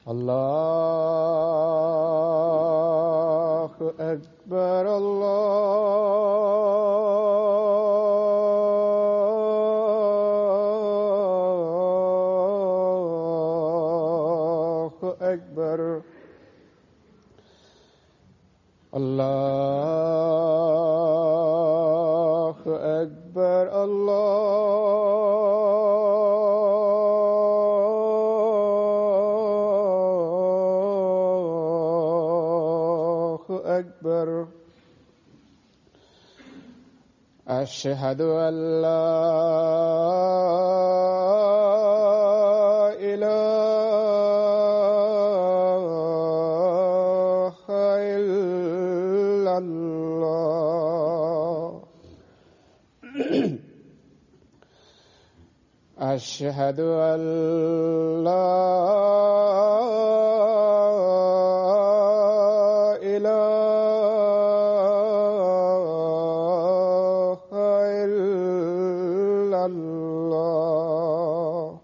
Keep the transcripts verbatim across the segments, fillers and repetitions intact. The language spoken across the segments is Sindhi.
الله أكبر الله أكبر الله أكبر الله أكبر أشهد أن لا إله إلا الله أشهد أن لا إله إلا الله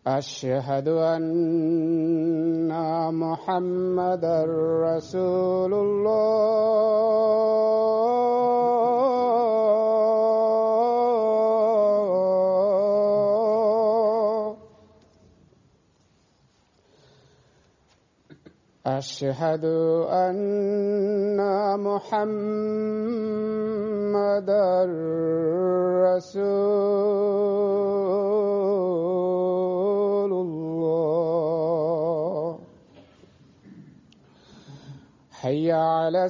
أشهد أن محمدا رسول الله أشهد أن محمدا رسول الله حي على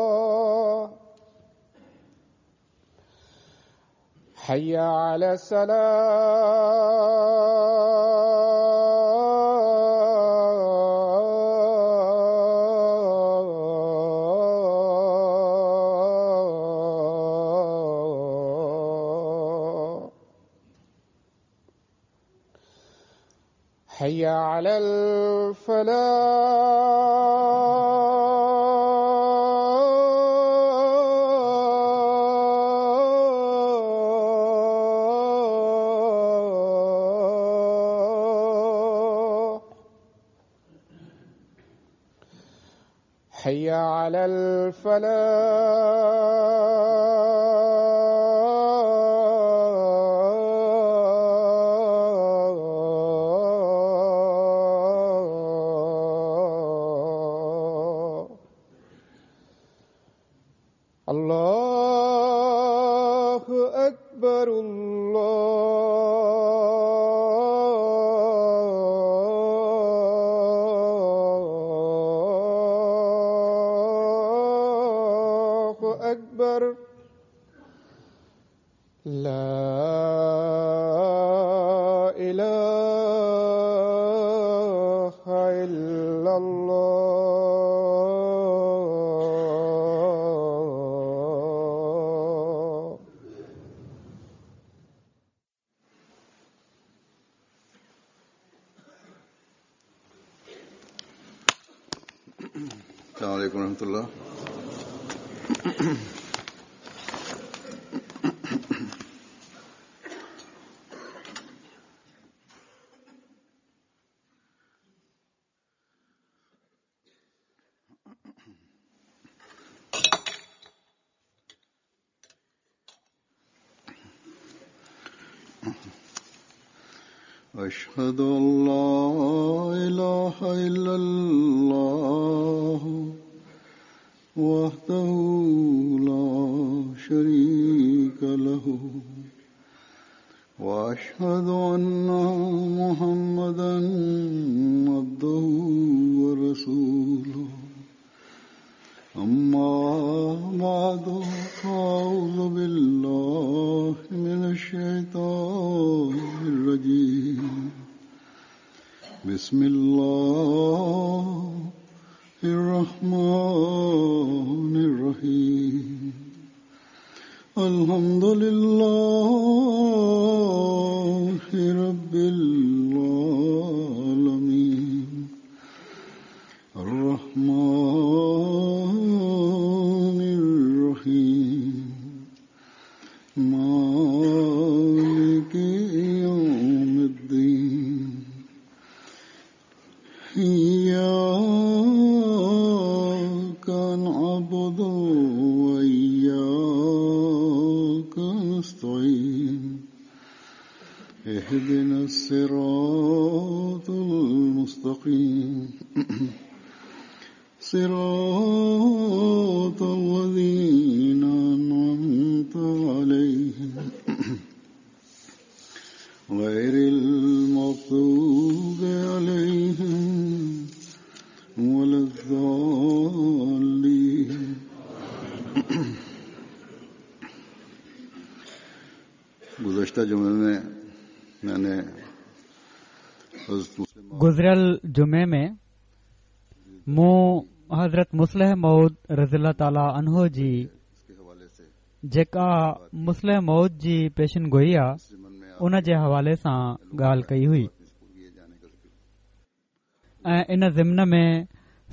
السلام حي على السلام حي على الفلاح حي على الفلاح الله أكبر الله أكبر لا إله إلا الله السلام عليكم ورحمة الله. أشهد أن لا إله إلا الله وحده لا شريك له وأشهد أن محمدا عبده ورسوله. أما بعد فأعوذ بالله من الشيطان الرجيم. بسم الله الرحمن الرحيم. الحمد لله رب العالمين. اهدنا الصراط المستقيم صراط الذين أنعمت عليهم غير المغضوب عليهم ولا الضالين. گزشتہ جمعے میں میں نے گزريل جمعي ۾ مون حضرت مصلح موعود رضي الله تعالٰي عنه جي جيڪا مصلح موعود جي پيشن گوئي آ ان جي حوالي سان ڳالهه ڪئي هئي ۽ ان ضمن ۾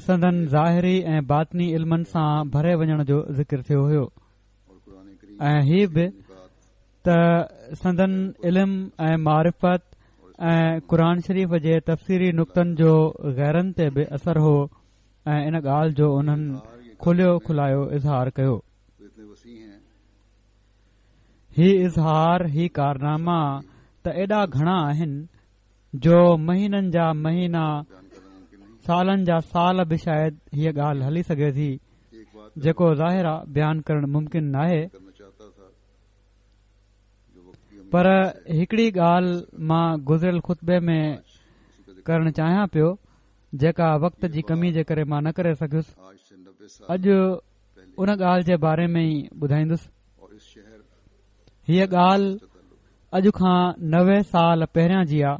سندن ظاهري ۽ باطني علمن سان ڀري وڃڻ جو ذڪر ٿيو هيو ۽ هي به ته سندن علم ۽ معرفت ۽ قرآن شريف جي تفسيري نقطن جو غيرن تي به اثر هو ۽ ان ڳالهه جو انهن کليو کلايو اظهار ڪيو. هي اظهار، هي ڪارناما ته ايڏا گهڻا آهن جو مهينن جا مهينا، سالن جا سال به شايد هيءَ ڳالهه هلي سگهي ٿي، جيڪو ظاهر آ بيان ڪرڻ ممڪن ناهي. پر هڪڙي ڳالهه مان گذريل خطبي ۾ ڪرڻ چاهيان پيو، جيڪا وقت جي ڪمي جي ڪري مان نه ڪري سگهيس. اڄ ان ڳالهه جي باري ۾ ئي ٻڌائيندس. هيءَ ڳالهه اڄ کان نوي سال پهريان جي آ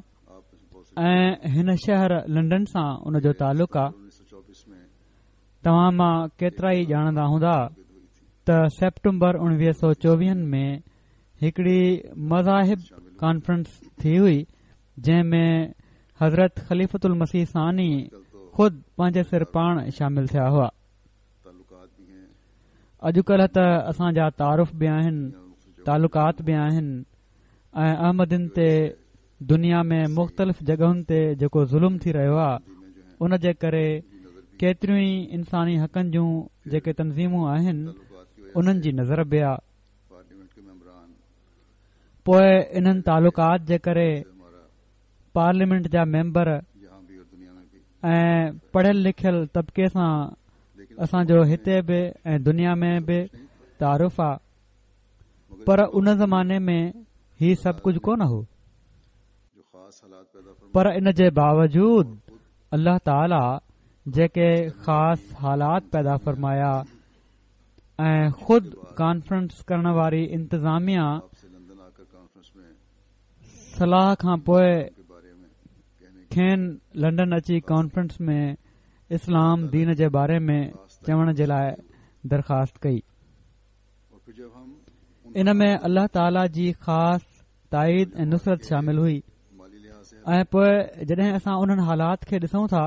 ۽ هن شهر لنڊن سان ان جو تعلق آ. توهان مان ڪيترا ئي ڄاڻندا هوندا ته سيپٽمبر اڻويهه سؤ چوويهن ۾ هڪڙي مذاهب ڪانفرنس ٿي هئي، جنهن ۾ حضرت خليفة المسيح ثاني خود پنهنجي سر پاڻ شامل ٿيا هئا. اڄڪلهه ته اسان جا تعارف به آهن، تعلقات به آهن ۽ احمدين تي دنيا ۾ مختلف جڳهن تي جيڪو ظلم ٿي رهيو آهي ان جي ڪري ڪيتريون ئي انساني حقن جون جيڪي تنظيمون آهن انهن جي نظر به آهي. پوءِ انهن تعلقات جي ڪري پارليامينٽ جا ميمبر ۽ پڙهيل لکيل طبقي سان اسان جو هتي به ۽ دنيا ۾ به تعارف آ. پر ان زماني ۾ هي سڀ ڪجهه ڪونه هو. پر ان جي باوجود الله تعاليٰ جيڪي خاص حالات پيدا فرمايا ۽ خود ڪانفرنس ڪرڻ واري انتظاميا صلاح کان پوءِ کين لنڊن اچي ڪانفرنس ۾ اسلام دين جي باري ۾ چوڻ جي لاءِ درخواست ڪئي. ان ۾ الله تعاليٰ جي خاص تائيد ۽ نصرت شامل هئي. ۽ پوءِ جڏهن اسان انهن حالات کي ڏسون ٿا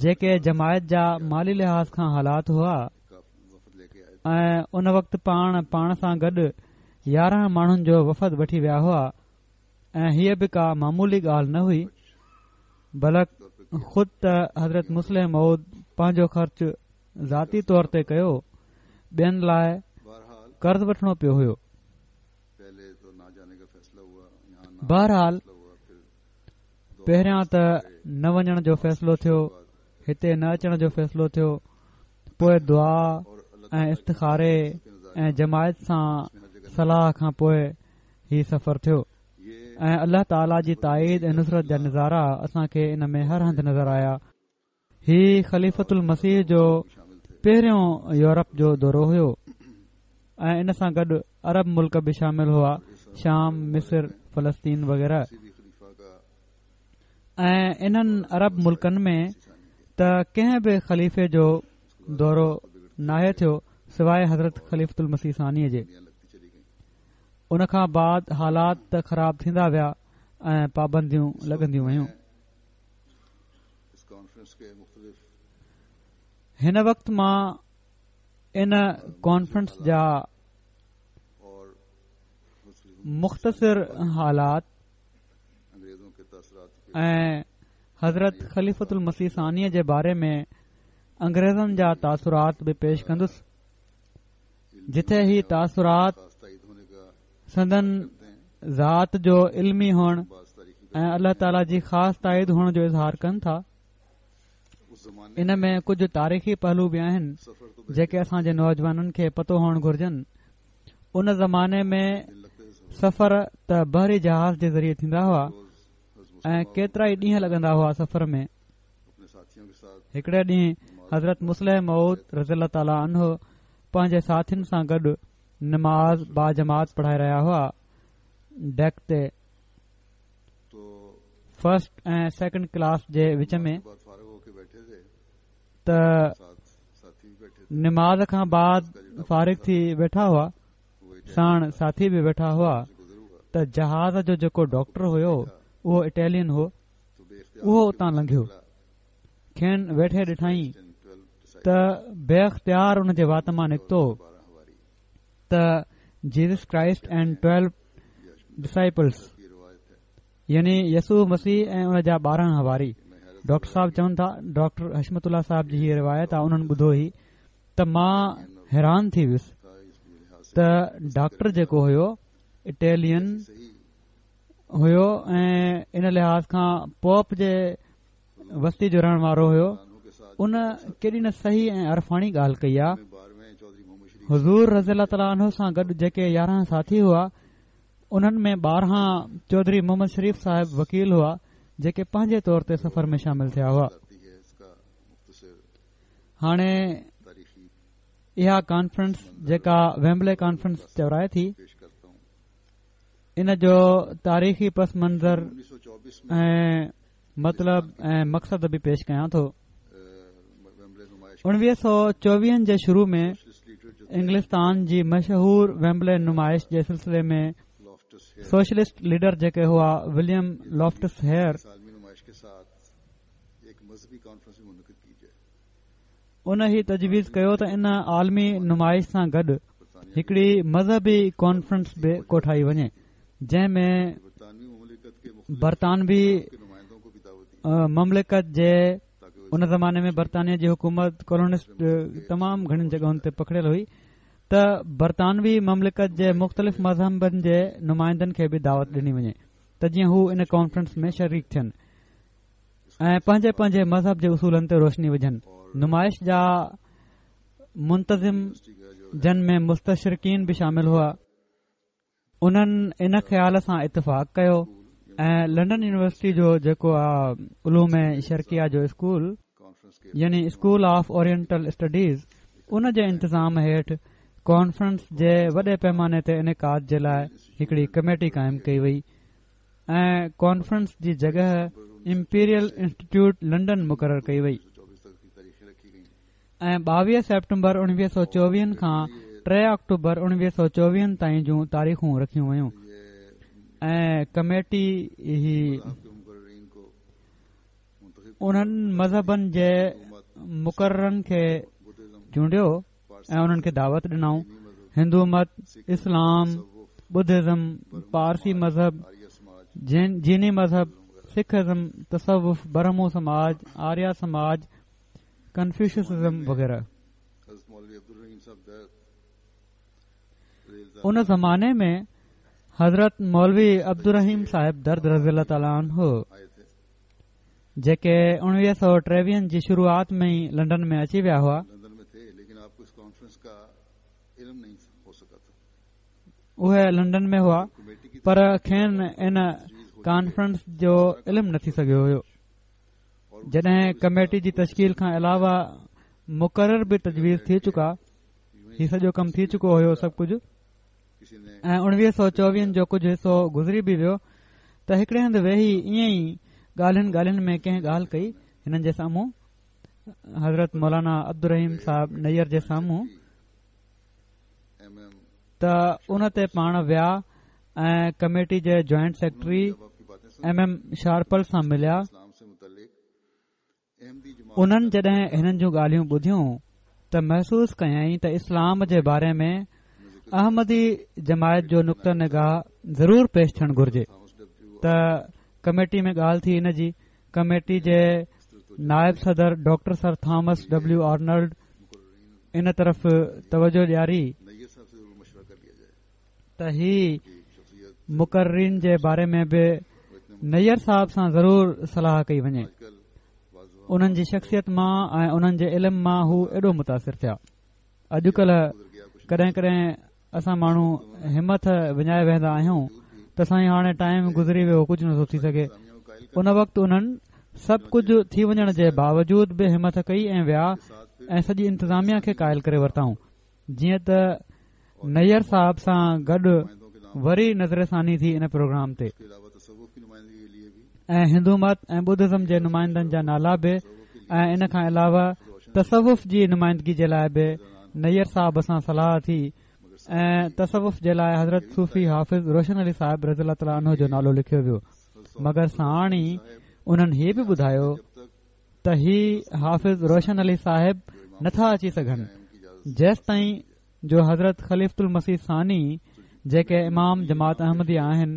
جيڪي جماعت جا مالي لحاظ کان حالات هئا، ۽ ان وقت پاڻ پاڻ سان گڏ يارهن ماڻهن جو وفد وٺي ويا هئا ۽ هيءَ به ڪا معمولي ڳالهه نه هئي، بلڪ خود ته حضرت مصلح موعود پنهنجو خرچ ذاتي طور تي ڪيو، ٻين لاءِ قرض وٺڻو پيو هيو. بهرحال پهريان ته نه وڃڻ جو فيصلو ٿيو، هتي نه اچڻ جو فيصلو ٿيو، پوءِ دعا ۽ استخاري ۽ جماعت سان صلاح کان پوءِ هي سفر ٿيو ۽ الله تعاليٰ جي تائيد ۽ نصرت جا نظارا اسان کي ان ۾ هر هنڌ نظر آيا. هي خليفة المسيح جو پهريون يورپ جو دورو هيو ۽ ان سان گڏ عرب ملڪ به شامل هئا، شام، مصر، فلسطين وغيره. ۽ انهن عرب ملڪن ۾ ته ڪنهن به خليفي جو دورو ناهي ٿيو سواءِ حضرت خليفة المسيح ثانيءَ جي. ان کان بعد حالات ته خراب ٿيندا ويا ۽ پابنديون لڳنديون ويون. هن وقت مان ان ڪانفرنس جا مختصر حالات ۽ حضرت خليفة المسيح ثانيءَ جي باري ۾ انگريزن جا تاثرات به پيش ڪندس، جتي هي تاثرات سندن ذات جو علمي هئڻ ۽ الله تعاليٰ جي خاص تائيد هئڻ جو اظهار ڪن ٿا. ان ۾ ڪجهه تاريخي پهلو به آهن جيڪي اسان جي نوجوانن کي پتو هئڻ گهرجن. ان زماني ۾ سفر ته بحري جهاز جي ذريعي ٿيندا هئا ۽ ڪيترا ئي ڏينهن لڳندا هئا سفر ۾. هڪڙي ڏينهن حضرت مصلح موعود رضي الله تعاليٰ عنه پنهنجي ساٿين سان گڏ نماز باجماعت پڙهائي رهيا هئا. ڊيڪ تي فرسٽ ۽ سيڪنڊ ڪلاس جي وچ ۾ ته نماز کان بعد فارغ ٿي ويٺا هئا، ساڻ ساٿي به ويٺا هئا ته جهاز جو جيڪو ڊاڪٽر هيو اهو اٽالين هو، اهو اتان لنگهيو. کين ويٺي ڏٺائين ته بي اختيار ان جي وات مان نڪتو ته Jesus Christ and twelve disciples, يعني يسوع مسيح ۽ ان جا ٻارهن حواري. ڊاڪٽر صاحب چون ٿا، ڊاڪٽر حشمت الله صاحب جي هيء روايت آهي، انهن ٻڌو هي ته مان حيران ٿي ويس ته ڊاڪٽر جيڪو هيو اٽالين هيو ۽ ان لحاظ کان پوپ جي وستي جو رهڻ وارو هيو، ان ڪيڏي نه صحيح ۽ عرفاني ڳالهه ڪئي آهي. حضور رضي الله تعاليٰ عنه سان گڏ جيڪي يارهن ساٿي هئا انهن ۾ ٻارهن چوڌري محمد شريف صاحب وڪيل هئا جيڪي پنهنجي طور تي سفر ۾ شامل ٿيا هئا. هاڻي اها ڪانفرنس جيڪا ويمبلي ڪانفرنس چورائي ٿي، ان جو تاريخي پس منظر ۽ مطلب ۽ مقصد به پيش ڪيان ٿو. اڻويهه سؤ چوويهن جي شروع ۾ انگلستان جي مشهور ويمبلي نمائش جي سلسلي ۾ سوشلسٽ ليڊر جيڪي هئا وليم لافٽس هيئر، ان هي تجويز ڪيو ته ان عالمي نمائش سان گڏ هڪڙي مذهبي ڪانفرنس به ڪوٺائي وڃي جنهن ۾ برطانوي مملڪت جي ان زماني ۾ برطانيه جي حڪومت ڪالونسٽ تمام گهڻين جڳهن تي پکڙيل هئي ته برطانوي مملڪت جي مختلف مذهبن جي نمائندن کي به دعوت ڏني وڃي ته جيئن هو ان ڪانفرنس ۾ شريڪ ٿين ۽ پنهنجي پنهنجي مذهب جي اصولن تي روشني وجهن. نمائش جا منتظم جن ۾ مستشرقين به شامل هئا، انهن ان خيال سان اتفاق ڪيو ۽ لنڊن يونيورسٽي جو جيڪو علوم شرقيه جو اسڪول يعني اسڪول آف اورينٽل اسٽڊيز، ان جي انتظام هيٺ ڪانفرنس جي وڏي پيماني تي انعقاد جي لاءِ هڪڙي ڪميٽي قائم ڪئي وئي ۽ ڪانفرنس جي جڳهه امپيريل انسٽيٽيوٽ لنڊن مقرر ڪئي وئي ۽ ٻاويهه سيپٽمبر اڻويهه سؤ چوويهن کان ٽي آڪٽوبر اڻويهه سؤ چوويهن تائين جون تاريخون رکيون ويون ۽ ڪميٽي هي انهن مذهبن جي مقررن کي چونڊيو ۽ انهن کي دعوت ڏنائون. هندو مت، اسلام، ٻڌزم، پارسي مذهب، جيني مذهب، سک ازم، تصوف، برهمو سماج، آريا سماج، ڪنفيوشسزم وغيره. ان زماني ۾ حضرت مولوي عبدالرحيم صاحب درد رضي الله تعاليٰ عنه جيڪي اڻويهه سؤ ٽيويهن جي شروعات ۾ ئي لنڊن ۾ اچي ويا هئا، اهي لنڊن ۾ هئا پر کين ان ڪانفرنس جو علم نه ٿي سگهيو هيو. جڏهن ڪميٽي جي تشڪيل کان علاوه مقرر به تجويز ٿي چڪا، هي سڄو ڪم ٿي چڪو هيو سڀ ڪجهه، ۽ اڻويهه سؤ چوويهن جو ڪجهه حصو گذري به ويو ته هڪڙي هنڌ ويهي ائين ئي ڳالهين ڳالهين ۾ ڪنهن ڳالهه ڪئي هنن جي سامهون، حضرت مولانا عبدالرحيم صاحب نير جي سامهون، ته ان تي پاڻ ويا ۽ ڪميٽي جي جوائنٽ سيڪريٽري ايم ايم شارپل سان مليا. انهن جڏهن هنن جون ڳالهيون ٻڌيون ته محسوس ڪيائين ته اسلام جي باري ۾ احمدي جماعت جو نقطه نگاهه ضرور پيش ٿيڻ گهرجي. ته ڪميٽي ۾ ڳالهه ٿي ان جي ڪميٽي جي نائب صدر doctor sir Thomas W Arnold ان طرف توجه ڏياري ته هي مقررين جي باري ۾ به نير صاحب سان ضرور صلاح ڪئي وڃي. انهن جي شخصيت مان ۽ انهن جي علم مان هو ايڏو متاثر ٿيا. اڄڪلهه ڪڏهن ڪڏهن اسان ماڻهو همٿ وڃائي ويهندا آهيون ته سائين هاڻي ٽائيم گذري ويو، ڪجهه نٿو ٿي سگهي. ان وقت انهن سڀ ڪجهه ٿي وڃڻ جي باوجود به همٿ ڪئي ۽ ويا ۽ سڄي انتظاميا کي قائل ڪري ورتائون. جيئن ته نير صاحب سان گڏ وري نظر ثاني ٿي ان پروگرام تي ۽ هندو مت ۽ ٻڌزم جي نمائندن جا نالا به ۽ ان کان علاوه تصوف جي نمائندگي جي لاءِ به نير صاحب سان صلاح ٿي ۽ تصوف جي لاءِ حضرت صوفي حافظ روشن علي صاحب رضي الله تعاليٰ عنه جو نالو لکيو ويو. مگر ساڻ ئي انهن هي به ٻڌايو ته هي حافظ روشن علي صاحب نٿا اچي سگهن جيستائين جو حضرت خليفة المسيح ثاني جيڪي امام جماعت احمديه آهن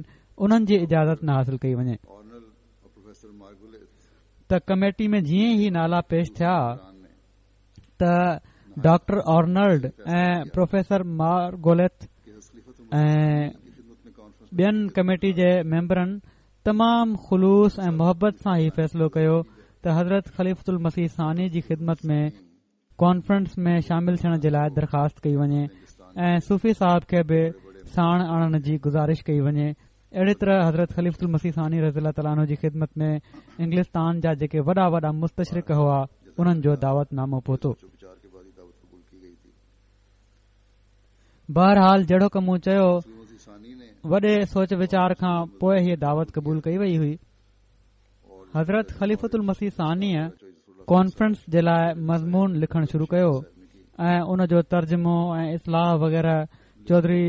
انهن جي اجازت نه حاصل ڪئي وڃي. ته ڪميٽي ۾ جيئن ئي نالا پيش ٿيا ته ڊاڪٽر آرنلڊ ۽ پروفيسر مارگوليٿ ۽ ٻين ڪميٽي جي ميمبرن تمام خلوص ۽ محبت سان هي فيصلو ڪيو ته حضرت خليفة المسيح ثاني جي خدمت ۾ ڪانفرنس ۾ شامل ٿيڻ جي لاءِ درخواست ڪئي وڃي ۽ صوفي صاحب کي به ساڻ آڻڻ جي گذارش ڪئي وڃي. اهڙي طرح حضرت خليفة المسيح ثاني رضي الله تعاليٰ عنه جي خدمت ۾ انگلستان جا جيڪي وڏا وڏا مستشرق هئا انهن جو دعوت نامو پهتو. بهرحال جهڙوڪ مون چيو وڏي سوچ ويچار کان پوءِ هيءَ دعوت قبول ڪئي وئي هئي. حضرت خليفة المسيح ثانيءَ ڪانفرنس جي لاءِ مضمون لکڻ شروع ڪيو ۽ ان جو ترجمو ۽ اصلاح وغيره چوڌري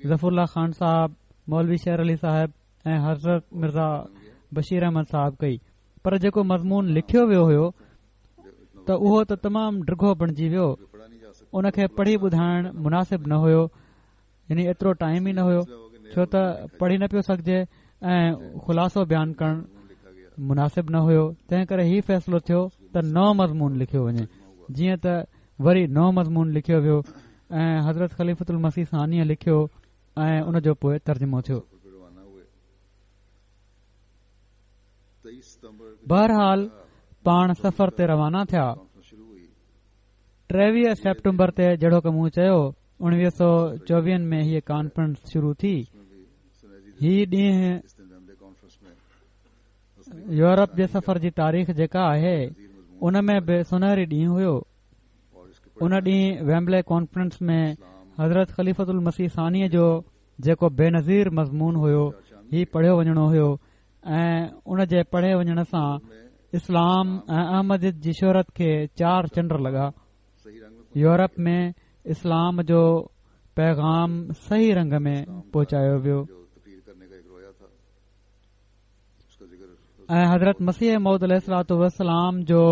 ظفر الله خان صاحب، مولوي شير علي صاحب ۽ حضرت مرزا بشير احمد صاحب ڪئي. پر جيڪو مضمون لکيو ويو هيو ته اهو ته تمام ڊگهو بڻجي ويو، ان کي پڙهي ٻڌائڻ مناسب نه هيو، يعني ايترو ٽائيم ئي نه هيو ڇو ته پڙهي نه پيو سگهجي ۽ خلاصو بيان ڪرڻ مناسب نه هيو. تنهن ڪري هي فيصلو ٿيو ته نئون مضمون لکيو وڃي. جيئن ته وري نئون مضمون لکيو ويو ۽ حضرت خليفة المسيح ثانيءَ لکيو ۽ ان جو پوءِ ترجمو ٿيو. بهرحال پاڻ سفر تي روانا ٿيا. ٽيويهه سيپٽمبر تي جهڙوڪ مون چيو اڻويهه سؤ چوويهن ۾ هيءَ ڪانفرنس شروع ٿي. هي ڏينهن يورپ جي سفر جي تاريخ جيڪا آهي ان ۾ به سنهري ڏينهن هيو. ان ڏينهن ويمبلي ڪانفرنس ۾ حضرت خليفة المسيح ثانيءَ جو جيڪو بينظير مضمون هيو هي پڙهيو وڃڻو هيو ۽ ان جي پڙهي وڃڻ سان اسلام ۽ احمديت جي شهرت کي چار چنڊ لڳا. يورپ ۾ اسلام جو پيغام صحيح رنگ ۾ پهچايو ويو ۽ حضرت مسيح موعود عليه الصلوة والسلام جو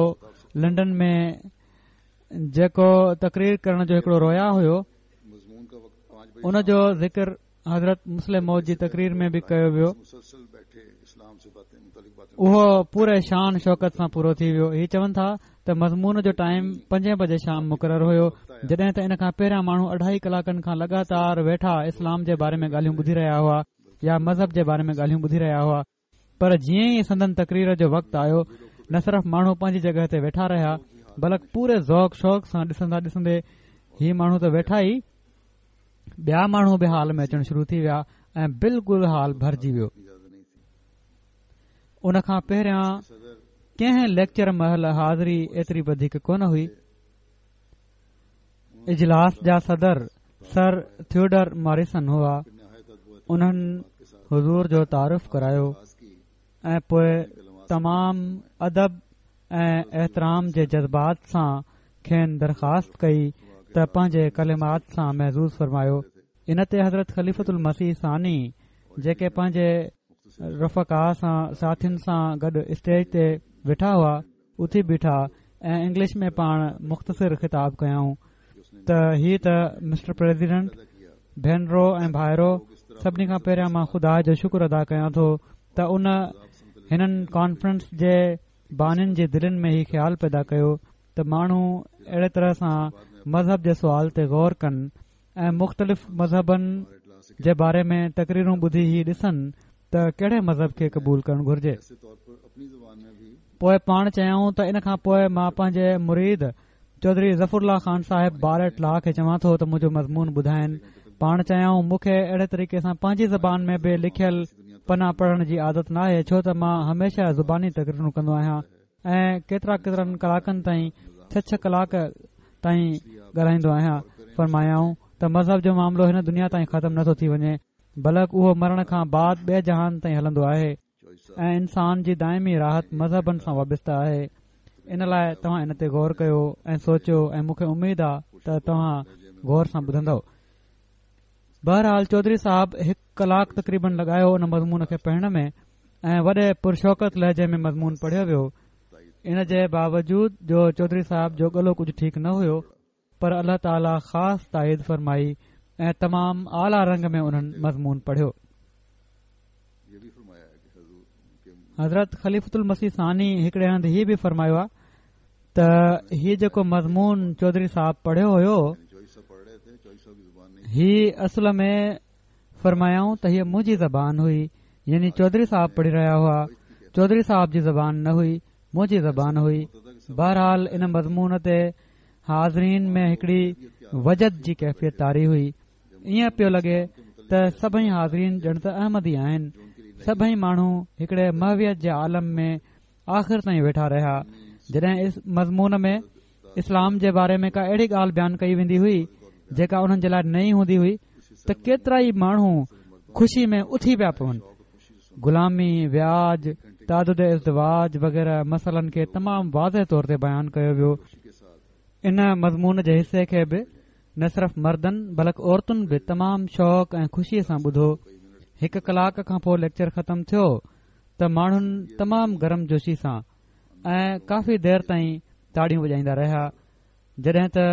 لنڊن ۾ جيڪو تقرير ڪرڻ جو هڪڙو رويا هيو ان جو ذڪر حضرت مصلح موعود جي تقرير ۾ به ڪيو ويو. اهو پوري شان شوڪت سان پورو ٿي ويو. هي چون ٿا ته مضمون جو ٽائيم پنجين بجي شام مقرر هيو، جڏهن ته ان کان پهريان ماڻهو اڍائي ڪلاڪن کان لڳاتار ويٺا اسلام جي باري ۾ ڳالهيون ٻڌي رهيا هئا يا مذهب جي باري ۾ ڳالهيون ٻڌي رهيا هئا. پر جيئن ئي سندن تقرير جو وقت آيو نه صرف ماڻهو پنهنجي جڳهه تي ويٺا رهيا بلڪ پوري ذوق شوق سان ڏسندا ڏسندي هي ماڻهو ته ويٺا ئي، ٻيا ماڻهو به هال ۾ اچڻ شروع ٿي ويا ۽ بلڪل هال ڀرجي ويو. ان کان پهريان ڪنهن ليڪچر مهل حاضري ايتري وڌيڪ ڪونه هئي. اجلاس جا صدر سر ٿيوڊر ماريسن هئا. انهن حضور جو تعارف ڪرايو ۽ پوءِ تمام ادب ۽ احترام جي جذبات سان کين درخواست ڪئي ته پنهنجي ڪلمات سان محظوظ فرمايو. ان تي حضرت خليفة المسيح ثاني جيڪي پنهنجي رفقا سان ساٿين سان گڏ اسٽيج تي ويٺا هئا اٿي بيٺا ۽ انگلش ۾ پاڻ مختصر خطاب ڪيائون ته هي ته مسٽر پريزيڊنٽ، ڀينرو ۽ ڀائرو، سڀني کان پهريان مان خدا جو شڪر ادا ڪيان ٿو ته ان هنن ڪانفرنس جي بانين جي دلين ۾ هي خيال پيدا ڪيو ته ماڻهو اهڙي طرح سان مذهب جي سوال تي غور ڪن ۽ مختلف مذهبن جي باري ۾ تقريرون ٻڌي هي ڏسن ته ڪهڙي مذهب کي قبول ڪرڻ گهرجي. پوءِ پاڻ چيائون ته ان کان پوءِ مان پنهنجي مريد چوڌري ظفر الله خان صاحب بار ايٽ لا کي چوان ٿو ته منهنجو مضمون ٻڌائين. پاڻ چيائون مون کي اهڙي طريقي سان پنهنجي زبان ۾ به لکيل پنا پڙهڻ جي عادت ناهي، ڇو ته مان هميشه زباني تقريرون ڪندو آهيان ۽ ڪيترا ڪيترن ڪلاڪن تائين ڇهه ڇهه ڪلاڪ تائين ڳالهائيندو آهيان. فرمايائون ته مذهب جو معاملو هن دنيا تائين ختم نٿو ٿي وڃي، بلڪ اهو مرڻ کان بعد ٻئي جهان تائين هلندو آهي ۽ انسان جي دائمي راحت مذهبن سان وابسته آهي. ان لاءِ توهان ان تي غور ڪيو ۽ سوچيو ۽ مون کي اميد آهي ته توهان غور سان ٻڌندؤ. بهرحال چوڌري صاحب هڪ ڪلاڪ تقريبن لڳايو ان مضمون کي پڙهڻ ۾ ۽ وڏي پرشوڪت لهجي ۾ مضمون پڙهيو ويو. ان جي باوجود جو چوڌري صاحب جو ڳلو ڪجهه ٺيڪ نه هيو، پر الله تعاليٰ خاص تائيد فرمائي ۽ تمام اعليٰ رنگ ۾ انهن مضمون پڙهيو. حضرت خليفة المسيح ثاني هڪڙي هنڌ هي به فرمايو آهي ته هي جيڪو مضمون چوڌري صاحب پڙهيو هيو، هي اصل ۾ فرمايائون ته هيءَ منهنجي زبان هئي، يعني چوڌري صاحب پڙهي رهيا هئا، چوڌري صاحب جي زبان نه هئي، منهنجي زبان هئي. بهرحال ان مضمون تي حاضرين ۾ هڪڙي وجد جي ڪيفيت طاري هئي. ائين پيو لڳي ته سڀئي حاضرين ڄڻ ته احمدي آهن. سڀئي ماڻهو هڪڙي محويت جي عالم ۾ آخر تائين ويٺا رهيا. جڏهن اس مضمون ۾ اسلام جي باري ۾ ڪا اهڙي ڳالهه بيان ڪئي ويندي هئي جيڪا انهن جي لاءِ نئين هوندي هئي ته ڪيترا ئي ماڻهو خوشي ۾ اٿي پيا پون. غلامي، وياج، تعدد ازدواج وغيره مسئلن کي تمام واضح طور تي بيان ڪيو ويو. ان مضمون جي حصي کي به نه صرف مردن بلڪ عورتن به تمام شوق ۽ خوشيءَ سان ٻڌو. هڪ ڪلاڪ کان پوءِ ليڪچر ختم ٿيو ته ماڻهن تمام گرم جوشي سان ۽ ڪافي دير تائين تاڙيون وڄائيندا رهيا. جڏهن ته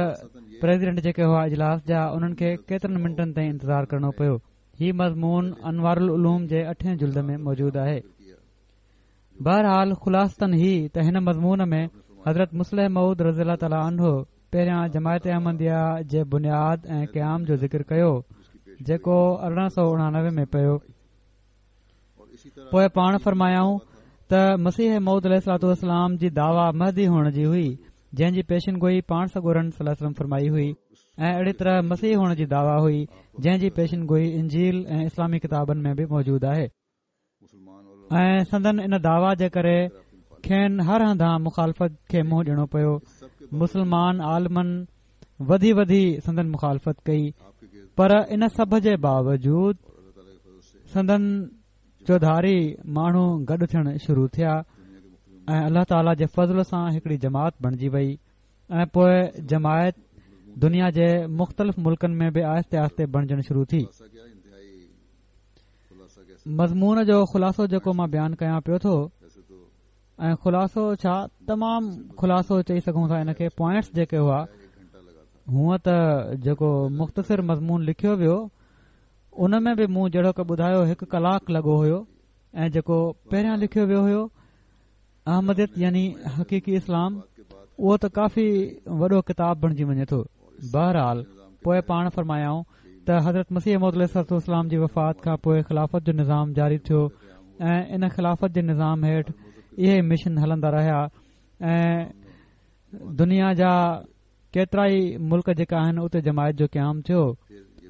پريزيڊنٽ جيڪي هئا اجلاس جا، انهن کي ڪيترن منٽن تائين انتظار ڪرڻو پيو. هي مضمون انوار العلوم جي اٺين جلد ۾ موجود آهي. بهرحال خلاصتن هي ته هن مضمون ۾ حضرت مصلح موعود رضي الله تعاليٰ عنه پهريان جماعت احمديه جي بنياد ۽ قيام جو ذڪر ڪيو، جيڪو ارڙهن سؤ اڻانوي ۾ پيو. پوءِ پاڻ فرمايائون ته مسيح موعود عليه الصلوة والسلام جي دعويٰ مهدي هئڻ جي هئي، جنهن جي پيشن گوئي پاڻ سڳورن صلي الله عليه وسلم فرمائي هئي، ۽ اهڙي طرح مسيح هئڻ جي دعويٰ هئي، جنهن جي پيشن گوئي انجيل ۽ اسلامي ڪتابن ۾ به موجود آهي. ۽ سندن ان دعويٰ جي ڪري کين هر هنڌان مخالفت کي منهن ڏيڻو پيو. مسلمان عالمن وڌي وڌي سندن مخالفت ڪئي، پر ان سڀ جي باوجود سندن چوڌاري ماڻهو گڏ ٿيڻ شروع ٿيا ۽ الله تعاليٰ جي فضل سان هڪڙي جماعت بڻجي وئي. ۽ پوءِ جماعت دنيا جي مختلف ملڪن ۾ به آهستي آهستي بڻجڻ شروع ٿي. مضمون جو خلاصو جيڪو مان بيان ڪيان پيو ٿو، ۽ خلاصو ڇا تمام خلاصو چئي سگهون ٿا ان کي، پوائنٽس جيڪي هئا، هونئن ته جيڪو مختصر مضمون لکيو ويو ان ۾ به مون جهڙوڪ ٻڌايو هڪ ڪلاڪ لڳو هيو، ۽ جيڪو پهريان لکيو ويو هيو احمديت يعني حقيقي اسلام، اهو ته ڪافي وڏو ڪتاب بڻجي وڃي ٿو. بهرحال پوءِ پاڻ فرمايائون ته حضرت مسيح موعود عليه الصلوة والسلام جي وفات کان پوءِ خلافت جو نظام جاري ٿيو ۽ ان خلافت جي نظام هيٺ اهي مشن هلندا رهيا ۽ دنيا جا ڪيترا ئي ملڪ جيڪا آهن اتي جماعت جو قيام ٿيو.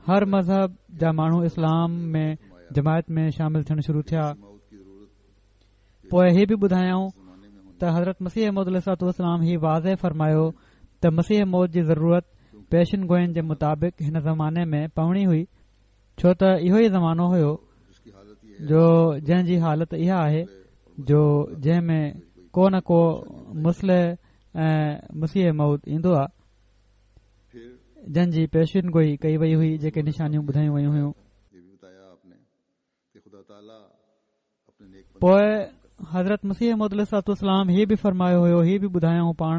هر مذهب جا ماڻهو اسلام ۾ جماعت ۾ شامل ٿيڻ شروع ٿيا. پوءِ هي به ٻڌايائون ته حضرت مسيح موعود عليه الصلوة والسلام هي واضح فرمايو ته مسيح موعود جي ضرورت پيشن گوئين جي مطابق هن زماني ۾ پوڻي هئي، ڇو ته اهو ئي زمانو هيو جو جنهن جي حالت اها آهي جو جنهن ۾ ڪو نه ڪو مصلح ۽ مسيح موعود ايندو آهي، جن جي پيشن گوئي ڪئي وئي هئي، جيڪي نشانيون ٻڌايون ويون هيون. پوءِ حضرت مسيح موعود عليه الصلوة والسلام هي به فرمايو هيو، هي به ٻڌايائون پاڻ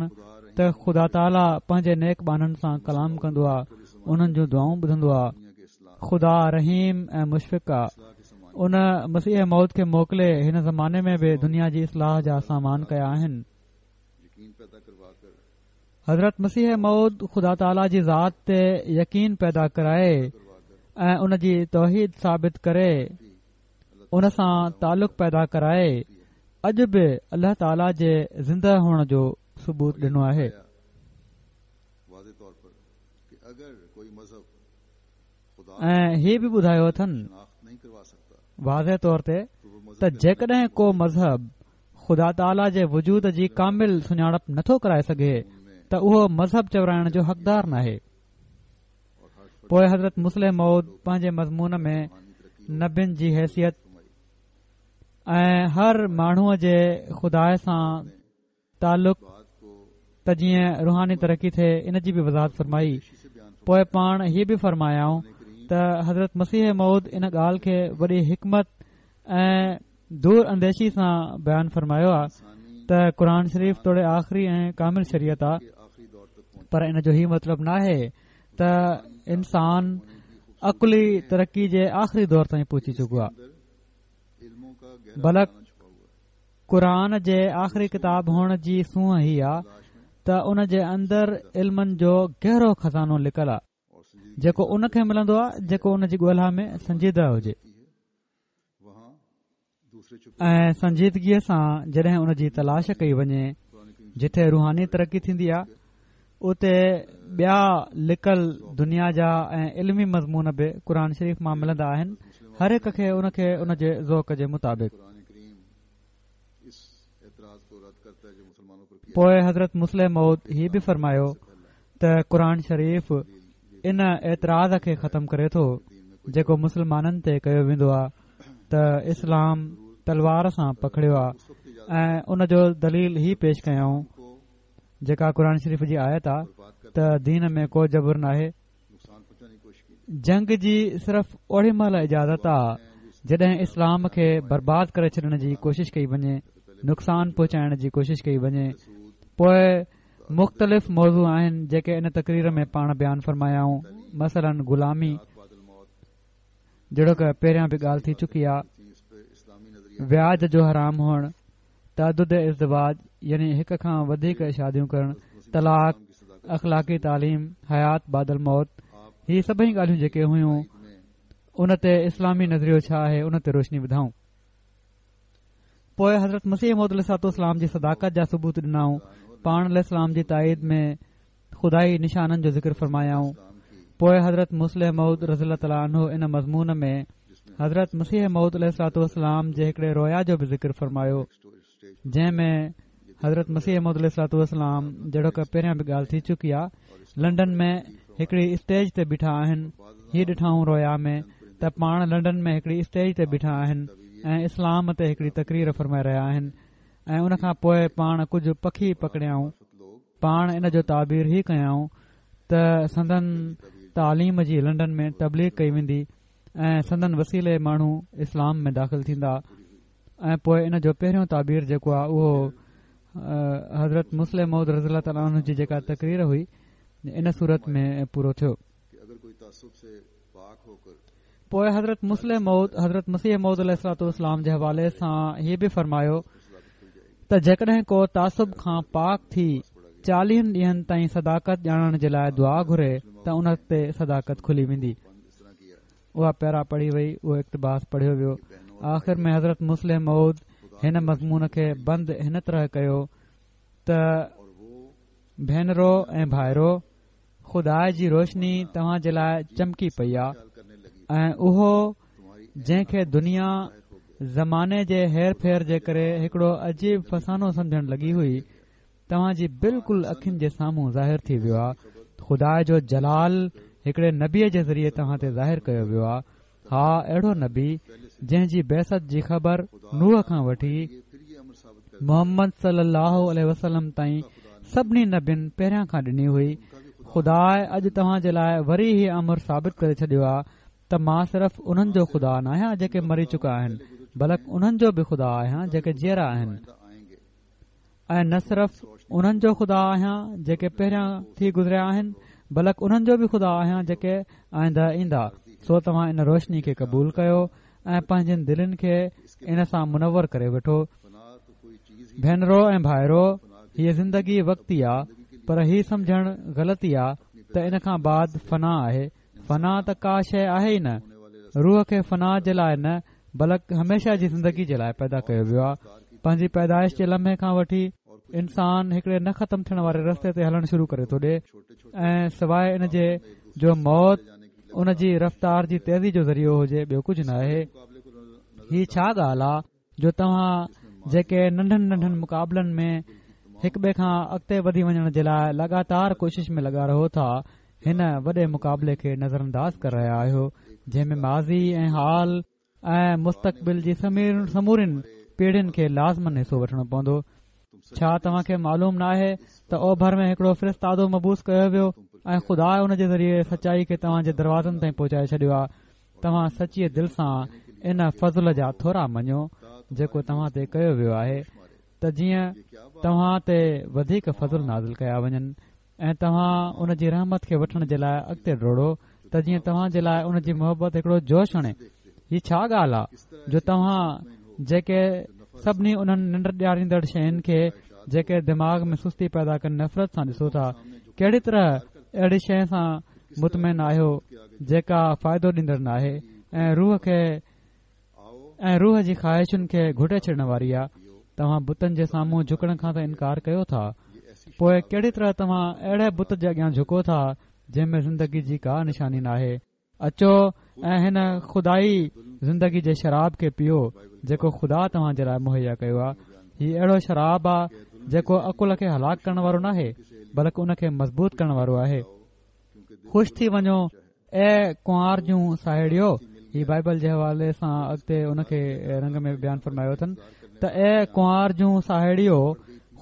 ته خدا تعاليٰ پنهنجي نيڪ ٻانهن سان ڪلام ڪندو آهي، انهن جون دعائون ٻڌندو آهي. خدا رحيم ۽ مشفق آهي. ان مسيح موعود کي موڪلي هن زماني ۾ به دنيا جي اصلاح جا سامان ڪيا آهن. حضرت مسيح موعود خدا تعاليٰ جي ذات تي يقين پيدا ڪرائي ۽ ان جي توحيد ثابت ڪري ان سان تعلق پيدا ڪرائي اڄ به الله تعاليٰ جي زنده هئڻ جو ثبوت ڏنو آهي. ۽ هي به ٻڌايو اٿن واضح طور تي ته جيڪڏهن ڪو مذهب خدا تعاليٰ جي وجود جي ڪامل سڃاڻپ نٿو ڪرائي سگهي ته اهو مذهب چورائڻ جو حقدار ناهي. پوءِ حضرت مصلح موعود پنهنجي مضمون ۾ نبين جي حيثيت ۽ هر ماڻهوءَ جي خدا سان تعلق ته جيئن روحاني ترقي ٿئي ان جي به وضاحت فرمائي. پوءِ پاڻ هيءَ به فرمايائون ته حضرت مسيح موعود ان ڳالهه کي وڏي حڪمت ۽ دور انديشي سان بيان فرمايو آهي ته قرآن شريف توڙي آخري ۽ ڪامل شريعت آهي، پر ان جو هي مطلب ناهي ته انسان عقلي ترقي جي آخري دور تائين پهچي چڪو آهي، بلڪ قرآن جي آخري ڪتاب هئڻ جي سونهن هي آهي ته ان جي اندر علمن جو گهرو خزانو لڪل آهي جيڪو ان کي ملندو آهي جيڪو ان جي ڳولها ۾ سنجيده هجي ۽ سنجيدگيءَ سان جڏهن ان جي تلاش ڪئي وڃي جتي روحاني ترقي ٿيندي آهي اتي ٻيا لڪل دنيا جا ۽ علمي مضمون به قرآن شريف مان ملندا آهن، هر هڪ کي ان کي ان جي ذوق جي مطابق. پوءِ حضرت مصلح موعود هي به فرمايو ته قرآن شريف ان اعتراض کي ختم ڪري ٿو جيڪو مسلمانن تي ڪيو ويندو آهي ته اسلام تلوار سان پکڙيو آهي ۽ ان جو دليل هي پيش ڪيائون جيڪا قرآن شريف جي آيت آهي ته دين ۾ ڪو جبر ناهي. جنگ جي صرف اوڙي مهل اجازت آهي جڏهن اسلام کي برباد ڪري ڇڏڻ جي ڪوشش ڪئي وڃي، نقصان پهچائڻ جي ڪوشش ڪئي وڃي. پوءِ مختلف موضوع آهن جيڪي ان تقرير ۾ پاڻ بيان فرمايائون، مثلاً غلامي جهڙوڪ پهريان به ڳالهه ٿي چڪي آهي، وياج جو حرام هئڻ، تعدد ازدواج يعني هڪ کان وڌيڪ شاديون ڪرڻ، طلاق، اخلاقي تعليم، حيات بعد الموت، هي سڀئي ڳالهيون جيڪي هيون ان تي اسلامي نظريو ڇا آهي ان تي روشني وڌائون. پوءِ حضرت مسيح موعود عليه الصلوة والسلام جي صداقت جا ثبوت ڏنائون، پاڻ عليه السلام جي تائيد ۾ خدائي نشانن جو ذڪر فرمايائون. پوءِ حضرت مصلح موعود رضي الله تعاليٰ عنه ان مضمون ۾ حضرت مسيح موعود عليه الصلوة والسلام جي هڪڙي رويا جو به ذڪر فرمايو جنهن ۾ حضرت مسيح موعود عليه الصلوة والسلام جهڙوڪ پهريان به ڳالهه ٿي چڪي آهي لنڊن ۾ هڪڙي اسٽيج تي بيٺا آهن. هي ڏٺائون رويا ۾ ته پاڻ لنڊن ۾ هڪڙي اسٽيج تي بيٺا آهن ۽ اسلام تي هڪڙي تقرير فرمائي رهيا آهن ۽ ان کان پوءِ پاڻ ڪجهه پکي پڪڙيائون. پاڻ ان جو تعبير هي ڪيائون ته سندن تعليم جي لنڊن ۾ تبليغ ڪئي ويندي ۽ سندن وسيلي ماڻهو اسلام ۾ داخل ٿيندا. ۽ پوءِ ان جو پهريون تعبير جيڪو آهي اهو حضرت مصلح موعود رضي الله تعاليٰ عنه جي جيڪا تقرير هئي ان صورت ۾ پورو ٿيو. پوءِ حضرت مصلح موعود حضرت مسيح موعود عليه الصلوة والسلام جي حوالي سان هي به فرمايو ته جيڪڏهن ڪو تعصب کان پاڪ ٿي چاليهن ڏينهن تائين صداقت ڄاڻڻ جي لاءِ دعا گهري ته ان تي صداقت کلي ويندي. اها پيرا پڙهي وئي، اهو اقتباس پڙهيو ويو. آخر ۾ حضرت مصلح موعود هن مضمون کي بند هن طرح ڪيو ته ڀينرو ۽ ڀائرو، خدا جي روشني توهان جي لاءِ چمڪي پئي آهي ۽ اهو جنهن کي دنيا زماني جي هير ڦير جي ڪري هڪڙو عجيب فسانو سمجهڻ لڳي هئي توهان جي بلڪل اکين جي سامهون ظاهر ٿي ويو آهي. خدا جو جلال هڪڙي نبيءَ جي ذريعي توهان تي ظاهر ڪيو ويو آهي. ها، اهڙو نبي جنهن جي بعثت جي خبر نوح کان وٺي محمد صلي الله عليه وسلم تائين سڀني نبين پهريان کان ڏني هئي. خدا اڄ توهان جي لاءِ وري هي امر ثابت ڪري ڇڏيو آهي ته مان صرف انهن جو خدا نه آهيان جيڪي مري چڪا آهن، بلڪ انهن جو به خدا آهيان جيڪي جيئرا آهن، ۽ نه صرف انهن جو خدا آهيان جيڪي پهريان ٿي گذريا آهن، بلڪ انهن جو به خدا آهيان جيڪي آئنده ايندا. سو توهان ان روشني کي قبول ڪيو ۽ پنهنجن دلين کي ان سان منور ڪري وٺو. ڀينرو ۽ ڀائرو، هيءَ زندگي وقتي آهي، پر هي سمجهڻ غلطي آهي ته ان کان بعد فنا آهي. فنا ته ڪا شيء آهي ئي نه. روح کي فنا جي لاءِ نه بلڪ هميشه جي زندگي جي لاءِ پيدا ڪيو ويو آهي. پنهنجي پيدائش جي لمحي کان وٺي انسان هڪڙي نه ختم ٿيڻ واري رستي تي هلڻ شروع ڪري ٿو ڏئي ۽ سواءِ ان جي جو موت ان جي رفتار جي تيزي جو ذريعو هجي ٻيو ڪجهه نه آهي. هي ڇا ڳالهه آهي جو توهان جيڪي ننڍن ننڍن مقابلن ۾ هڪ ٻئي کان اڳتي وڌي وڃڻ جي لاءِ لڳاتار ڪوشش ۾ لڳا رهو ٿا، هن وڏي مقابلي کي نظرانداز ڪري رهيا آهيو جنهن ۾ ماضي ۽ حال ۽ مستقبل جي سمورين پيڙهين کي لازمن حصو وٺڻو پوندو. ڇا توهان کي معلوم نه آهي ته اوڀر ۾ هڪڙو فرستادو مبعوث ڪيو ويو ۽ خدا ان جي ذريعي سچائي کي توهان جي دروازن تائين پهچائي ڇڏيو آهي؟ توهان سچيءَ دل سان ان فضل جا ٿورا مڃو جيڪو توهان تي ڪيو ويو آهي ته جيئن توهان تي وڌيڪ فضل نازل ڪيا وڃن ۽ توهان ان جي رحمت کي وٺڻ جي لاءِ اڳتي ڊوڙو ته جيئن توهان جي لاءِ ان جي محبت هڪڙو جوش هڻي. هي ڇا ڳالهه آهي جو توهان جيڪي سڀني انهن ننڊ ڏياريندڙ شين کي جيڪي دماغ ۾ سستي پيدا ڪن نفرت سان ڏسو ٿا، ڪهڙي طرح اهڙي شيءِ سان مطمئن آهيو جيڪا فائدو ڏيندڙ نه آهي ۽ روح کي ۽ روح جي خواهشن کي گهٽي ڇڏڻ واري آهي؟ توهان بتن جي سامهون جهڪڻ کان ته انڪار ڪيو ٿا، پوءِ ڪهڙي طرح توهان اهڙي بت جي اڳيان جهڪو ٿا جنهن ۾ زندگي جي ڪا نشاني ناهي؟ اچو ۽ هن خدائي زندگي جي شراب کي پيئو جيڪو خدا توهان جي لاءِ مهيا ڪيو آهي. هي اهڙو شراب آهي جيڪو عقل کي هلاڪ ڪرڻ وارو ناهي بلڪ ان کي مضبوط ڪرڻ وارو آهي. خوش ٿي وڃو اي ڪنوار جون ساهيڙيو. هي بائبل جي حوالي سان اڳتي ان کي رنگ ۾ بيان فرمايو اٿن ته اي ڪنوار جون ساهيڙيو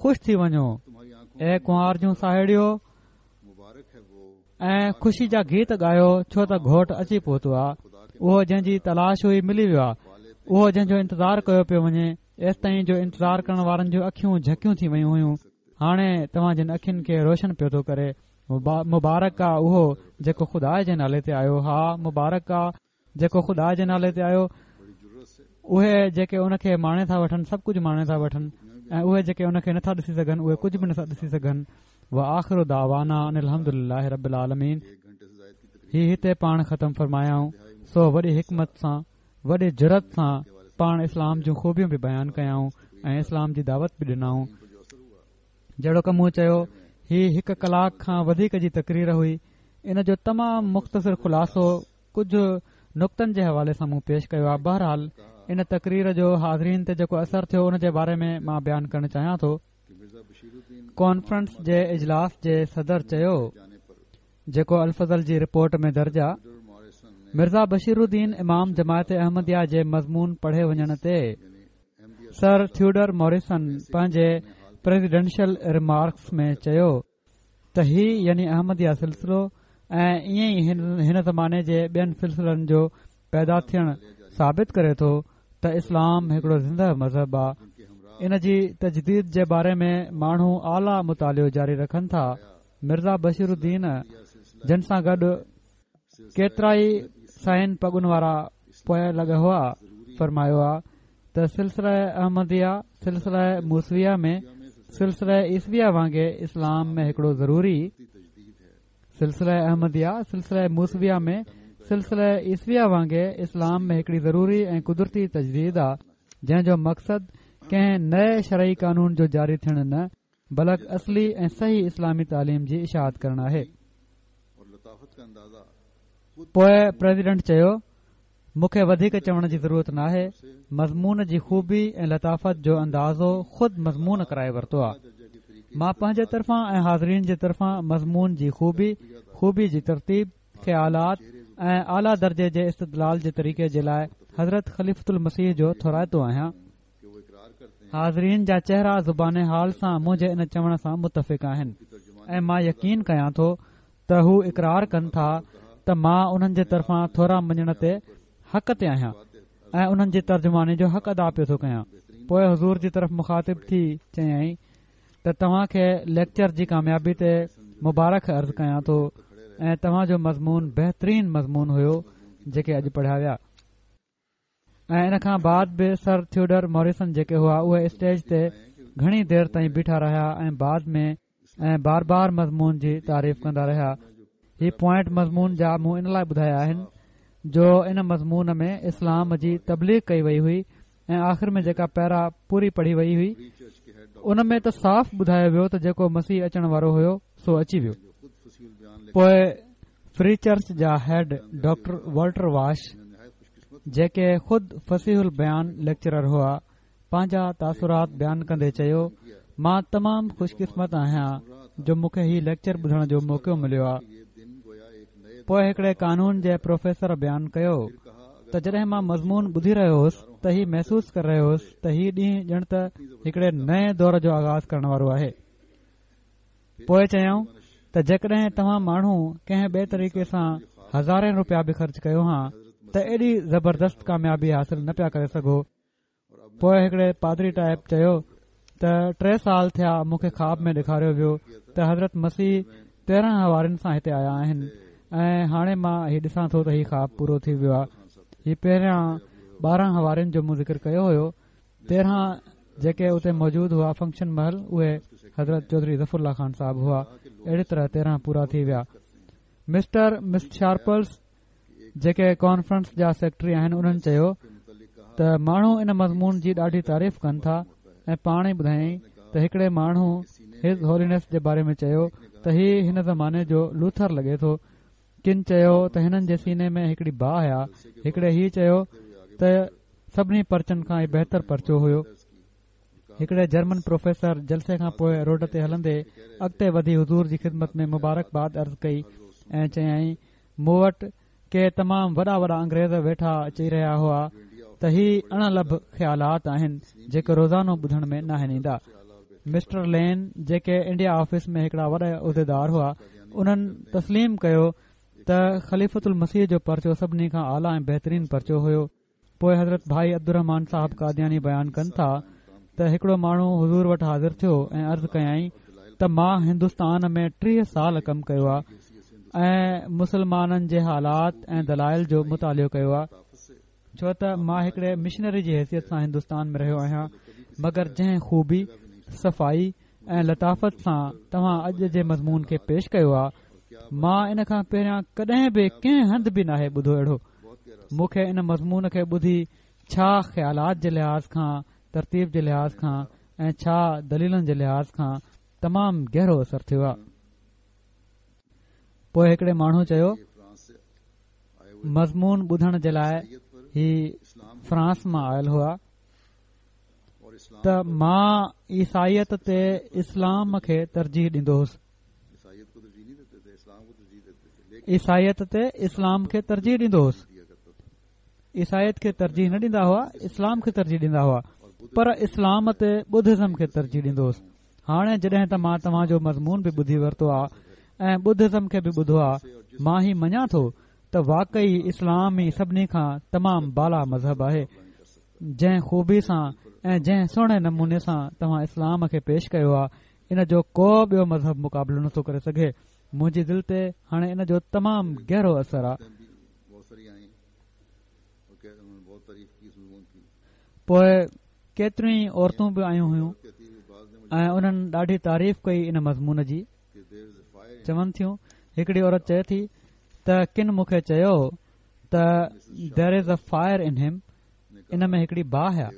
خوش ٿي وڃو، اي ڪنوار جون ساهيڙيو ۽ خوشي جا گيت ڳايو، ڇو ته گهوٽ اچي پهتو آهي. اهو جنهن جي تلاش هئي ملي ويو آهي، اهو جنهن جو انتظار ڪيو پيو وڃي. ايستائين جو انتظار ڪرڻ وارن جون اکيون جهڪيون ٿي ويون هيون، هاڻي توهان جن اکين کي روشن پيو ٿو ڪري. مبارڪ آ اهو جيڪو خدا جي نالي تي آيو. ها، مبارڪ آ جيڪو خدا جي نالي تي آيو. اهي جيڪي ان کي ماڻي ٿا وٺن سڀ ڪجهه ماڻي ٿا وٺن ۽ اهي جيڪي ان کي نٿا ڏسي سگهن اهي ڪجهه به نٿا ڏسي سگهن. وآخر دعوانا ان الحمد لله رب العالمين. هي هتي پاڻ ختم فرمايائون. سو وڏي حڪمت سان وڏي جرئت سان پاڻ اسلام جون خوبيون به بيان ڪيائون ۽ اسلام جي دعوت به ڏنائون. جهڙوڪ مون چيو، هي هڪ ڪلاڪ کان وڌيڪ جي تقرير هئي. ان جو تمام مختصر خلاصو ڪجهه نقطن جي حوالي سان مون پيش ڪيو آهي. بهرحال ان تقرير جو حاضرين تي جيڪو اثر ٿيو ان جي باري ۾ مان بيان ڪرڻ چاهيان ٿو. ڪانفرنس جي اجلاس جي صدر چيو، جيڪو الفضل جي رپورٽ ۾ درج آ، مرزا بشير الدين امام جماعت احمديه جي مضمون پڙهي وڃڻ تي سر ٿيوڊر موريسن پنهنجي پريزيڊنشل ريمارڪس ۾ چيو ته هي يعني احمديه سلسلو ۽ ائين ئي هن زماني جي ٻين سلسلن جو پيدا ٿيڻ ثابت ڪري ٿو ته اسلام هڪڙو زنده مذهب آ. ان جي تجديد جي باري ۾ ماڻهو اعليٰ مطالعو جاري رکن ٿا. مرزا بشير الدين جن سان گڏ ڪيترائي سائن پڳن وارا پوئلڳ هئا، فرمايو آ ته سلسله احمديه سلسله موسويه ۾ سلسله عيسويه وانگي اسلام ۾ هڪڙو ضروري سلسله احمديه سلسله موسويه ۾ سلسله عيسويه وانگي اسلام ۾ هڪڙي ضروري ۽ قدرتي تجديد آ، جنهن جو مقصد ڪنهن نئين شرعي قانون جو جاري ٿيڻ نه بلڪ اصلي ۽ صحيح اسلامي تعليم جي اشاعت ڪرڻ آهي. پوءِ پريزيڊنٽ چيو، مون کي وڌيڪ چوڻ جي ضرورت ناهي. مضمون جي خوبي ۽ لطافت جو اندازو خود مضمون ڪرائي ورتو آ. مان پنهنجي طرفان ۽ حاضرين جي طرفان مضمون جي خوبي، خوبي جي ترتيب، خيالات ۽ اعليٰ درجي جي استدلال جي طريقي جي لاءِ حضرت خليفة المسيح جو ٿورائتو آهيان. حاضرين جا چهرا زبان حال سان منهنجي ان چوڻ سان متفق آهن ۽ مان يقين ڪيان ٿو ته هو اقرار ڪن ٿا ته مان انهن جي طرفان ٿورا مڃڻ تي حق تي آهيان ۽ انهن جي ترجماني جو حق ادا پيو ٿو ڪيان. پوءِ حضور جي طرف مخاطب ٿي چيائين ته توهان کي ليڪچر جي ڪاميابي تي مبارڪ عرض ڪيان ٿو ۽ توهان جو مضمون بهترين مضمون هيو جيڪي اڄ پڙهيا ويا. ۽ ان کان بعد به سر ٿيوڊر موريسن جيڪي هئا اهي اسٽيج تي گهڻي دير تائين بيٺا رهيا ۽ بعد ۾ ۽ بار بار مضمون جي تعريف ڪندا رهيا. هي پوائنٽ مضمون جا مون ان لاءِ ٻڌايا آهن جو ان مضمون ۾ اسلام جي تبليغ ڪئي وئي هئي ۽ آخر ۾ جيڪا پيرا پوري پڙهي وئي هئي ان ۾ ته صاف ٻڌايو ويو ته جيڪو مسيح اچڻ وارو هيو سو اچي ويو. پوءِ فري چرچ جا هيڊ ڊاڪٽر والٽر واش، جيڪي خود فصيح البيان ليڪچرر هئا، پنهنجا تاثرات بيان ڪندي چيو، مان تمام خوشقسمت آهيان جو مون کي هي ليڪچر ٻڌڻ جو موقعو مليو آهي. پوءِ هڪڙي قانون جي پروفيسر بيان ڪيو ته جڏهن مان مضمون ٻڌي رهيو هوس ته هي محسوس ڪري رهيو هوس ته هي ڏينهن ڄڻ ته هڪڙي نئين دور جو آغاز ڪرڻ وارو آهي. پوءِ چيائون ته جيڪڏهن توهان ماڻهو ڪنهن ٻئي طريقي سان هزارين رپيا به خرچ ڪيو ها ته ايڏي زبردست ڪاميابي حاصل نه پيا ڪري سگهو. پوءِ هڪڙي پادري ٽائپ چيو ته ٽي سال ٿيا مون کي خواب ۾ ڏيکاريو ويو ته حضرت مسيح تيرهن حوارين سان هتي آيا آهن ۽ هاڻي مان هي ڏسان ٿو ته هي خواب پورو ٿي ويو آهي. هي پهريان ٻارهن حوارين جو مون ذڪر ڪيو هيو، تيرهن جيڪي اتي موجود هئا فنڪشن مهل اهي حضرت چوڌري ظفر الله خان صاحب هئا. اهڙي طرح تيرهن پورا ٿي ويا. مسٽر مس شارپلس جيڪي ڪانفرنس جا سيڪريٽري آهن انهن چيو ته ماڻهو ان مضمون جي ڏاڍي تعريف ڪن ٿا ۽ پاڻ ئي ٻڌايائين ته هڪڙي ماڻهو his هولينيس جي باري ۾ چيو ته هي هن زماني جو لوٿر لڳي ٿو. ڪن چيو ته هنن جي سيني ۾ هڪڙي باهه آهي. هڪڙي هي چيو ته سڀني پرچن کان هي بهتر پرچو هيو. هڪڙي جرمن پروفيسر جلسي کان پوءِ روڊ تي هلندي اڳتي وڌي حضور جي خدمت ۾ مبارڪباد عرض ڪئي ۽ چيائين، مون وٽ ڪي تمام وڏا وڏا انگريز ويٺا چئي رهيا هئا ته هي اڻ لڀ خيالات آهن جيڪي روزانو ٻڌڻ ۾ ناهن ايندا. مسٽر لين جيڪي انڊيا آفيس ۾ هڪڙا وڏا عهديدار هئا انهن تسليم ڪيو ته خليفة المسيح جو پرچو سڀني کان اعليٰ ۽ بهترين پرچو هيو. پوءِ حضرت ڀائي عبدالرحمان صاحب قادياني بيان ڪن ٿا ته هڪڙو ماڻهو حضور وٽ حاضر ٿيو ۽ عرض ڪيائين ته مان هندستان ۾ ٽيهه سال ڪم ڪيو آهي ۽ مسلمانن جي حالات ۽ دلائل جو مطالعو ڪيو آهي، ڇو ته مان هڪڙي مشنري جي حيثيت سان هندستان ۾ رهيو آهيان، مگر جنهن خوبي، صفائي ۽ لطافت سان توهان اڄ جي مضمون کي پيش ڪيو آهي، مان ان کان پهريان ڪڏهن به ڪنهن هنڌ به ناهي ٻڌو اهڙو. مون کي ان مضمون کي ٻڌي ڇا خيالات جي لحاظ کان، ترتيب جي لحاظ کان ۽ ڇا دليلن جي لحاظ کان تمام گهرو اثر ٿيو آهي. پوءِ هڪڙي ماڻهو چيو، مضمون ٻڌڻ جي لاءِ هي فرانس مان آيل هئا ته مان عيسائيت تي اسلام کي ترجيح ڏيندو هوس. عيسائيت تي اسلام کي ترجيح ڏيندو هوس. عيسائيت کي ترجيح نه ڏيندا هئا، اسلام کي ترجيح ڏيندا هئا، پر اسلام تي ٻڌزم کي ترجيح ڏيندو هوس. هاڻي جڏهن ته مان توهان جو مضمون به ٻڌي ورتو آهي ۽ ٻڌزم کي به ٻڌو آهي، مان هي مڃان ٿو ته واقعي اسلام ئي سڀني کان تمام بالا مذهب آهي. جنهن خوبي سان ۽ جنهن سهڻي نموني سان توهان اسلام کي پيش ڪيو آهي، ان جو ڪو ٻيو مذهب مقابلو نٿو ڪري سگهي. منهنجي دل تي هاڻي ان جو تمام گهرو اثر آهي. پوءِ ڪيتريون ئي عورتون به آيون هيون ۽ انهن ڏاڍي تعريف ڪئي ان مضمون جي. چون ٿيون، هڪڙي عورت چئي ٿي ته ڪن مون کي چيو ته there is a fire in him، ان ۾ هڪڙي باهه آهي.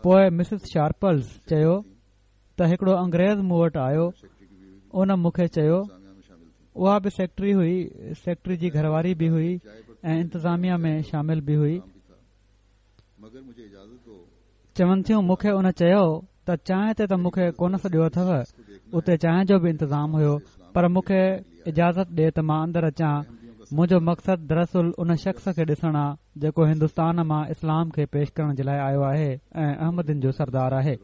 پوءِ مسز شارپلز چيو ته هڪڙو انگريز مون وٽ آيو، ان مون کي چيو، اها به سيڪريٽري هئي، سيڪريٽري جي گهرواري به هئي ۽ انتظاميا ۾ شامل به هئي. چون ٿيون، مون کي ان چيو ته چانهه تي ته مون کي ڪونه سڏيو اٿو، اتي چانهه جو به انتظام هيو، پر مون کي اجازت ڏي ته مان اندر اچان. منهنجو مقصد دراصل ان شخص کي ڏسڻ آ جيڪو هندستان مان اسلام کي پيش ڪرڻ جي لاءِ آيو آهي ۽ احمدين جو سردار آهي.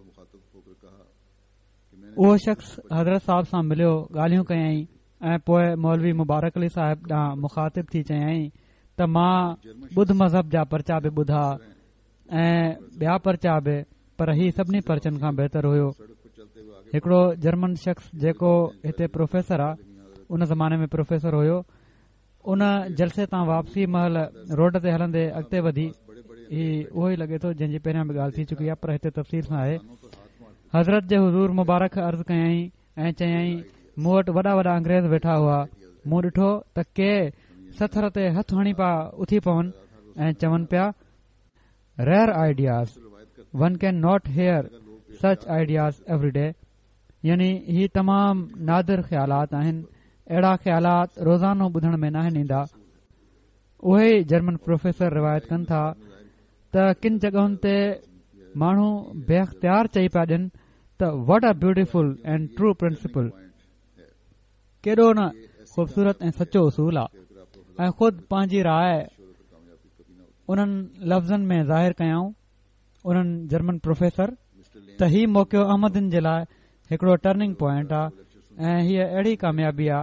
اهو شخص حضرت صاحب سان مليو، ڳالهيون ڪيائين ۽ پوءِ مولوي مبارڪ علي صاحب ڏانهن مخاطب ٿي چيائين ته مان ٻڌ مذهب جا پرچا به ٻڌا ۽ ٻيا پرچا به، پر هي سڀني پرچن کان بهتر هيو. هڪڙو جرمن شخص جيڪو هتي پروفيسر آ، ان زماني ۾ پروفيسر هيو، ان جلسي تان واپسي مهل روڊ تي هلندي اڳتي وڌي، هي اهو ئي لڳي ٿو جنهن جي پهريان به ڳالهه ٿي چڪي آهي، پر هتي تفصيل سان آهي. حضرت جي حضور مبارڪ عرض ڪيائين ۽ چيائين مون وٽ وڏا وڏا انگريز ويٺا هئا. مون ڏٺو ته ڪي سٿر تي هٿ هڻي پيا اٿي پون ۽ چون پيا، rare ideas, one can not hear such ideas every day. يعني هي تمام نادر خيالات آهن، اهڙا خيالات روزانو ٻڌڻ ۾ ناهن ايندا. اهي ئي جرمن پروفيسر روايت ڪن ٿا ته ڪن جڳهن تي ماڻهو بي اختيار چئي پيا ڏين ته what a beautiful and true principle, ڪيڏو نه خوبصورت ۽ سچو اصول آ. ۽ خود پنهنجي راءِ انهن لفظن ۾ ظاهر ڪيائون انهن جرمن پروفيسر ته هي موقعو احمدين جي لاءِ هڪڙو ٽرننگ پوائنٽ آ ۽ هيءَ اهڙي ڪاميابي آ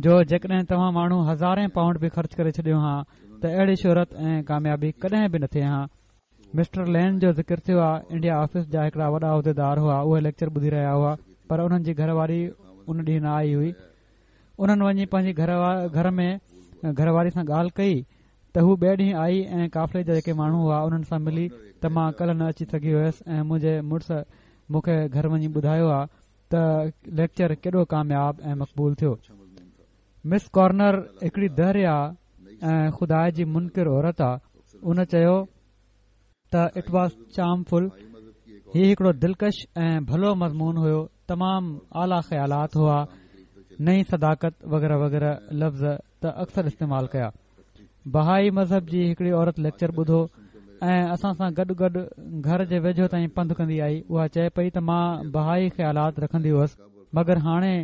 جو جيڪڏهن توهان ماڻهو هزارين پائونڊ به خرچ ڪري ڇڏيو ها ته اهڙي شهرت ۽ ڪاميابي ڪڏهن به نه ٿئي ها. مسٽر لين جو ذڪر ٿيو آ. انڊيا آفيس جا هڪڙا وڏا عهديدار هئا، اهي ليڪچر ٻڌي رهيا هئا، پر انهن جي گهر واري ان ڏينهن نه آئي هئي. انهن وڃي پنهنجي گهر گهر ۾ گهر واري سان ڳالهه ڪئي ته هو ٻئي ڏينهن آئي ۽ قافلي جا جيڪي ماڻهو هئا انهن سان ملي ته مان ڪلهه نه اچي سگهي هيس ۽ منهنجي مڙس مون کي گهر وڃي ٻڌايو آ ته ليڪچر ڪيڏو ڪامياب ۽ مقبول ٿيو. مس ڪارنر هڪڙي دهريا ۽ خدا جي منڪر عورت آ. ان چيو ته it was چارمفل، هي هڪڙو دلڪش ۽ ڀلو مضمون هيو، تمام اعليٰ خيالات هئا، نئين صداقت وغيره وغيره لفظ ته اڪثر استعمال ڪيا. بهائي مذهب جي هڪڙي عورت ليڪچر ٻڌو ۽ اسان سان گڏ گڏ گهر جي ويجهو تائين پنڌ ڪندي آئي. اها چئي پئي ته مان بهائي خيالات رکندي هئس، مگر هاڻي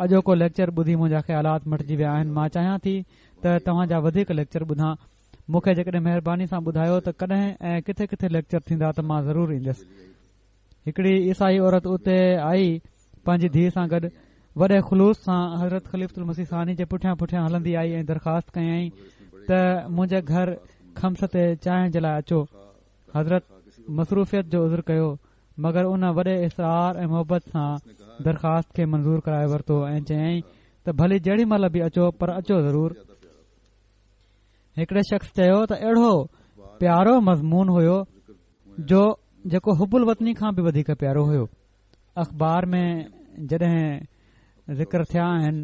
اڄوڪو ليڪچر ٻڌي منهنجا خيالات مٽجي ويا آهن. مان چاهيان ٿي ته توهان جا وڌيڪ ليڪچر ٻڌان. مون کي جيڪڏهن مهرباني سان ٻڌايو ته ڪڏهن ۽ ڪٿي ڪٿي ليڪچر ٿيندا ته مان ضرور ايندس. هڪڙي عيسائي عورت اتي آئي پنهنجي ڌيءَ سان گڏ، وڏي خلوص سان حضرت خليفة المسيح ثاني جي پٺيان پٺيان هلندي آئي ۽ درخواست ڪيائين ته منهنجي گهر خمس تي چانهه جي لاءِ اچو. حضرت مصروفيت جو عذر ڪيو، مگر ان وڏي اصرار ۽ محبت سان درخواست کي منظور ڪرائي ورتو ۽ چيائين ته ڀلي جهڙي مهل به اچو پر اچو ضرور. هڪڙي شخص چيو ته اهڙو پيارو مضمون هيو جو جيڪو حب الوطني کان به وڌيڪ پيارو هيو. اخبار ۾ جڏهن ذڪر ٿيا آهن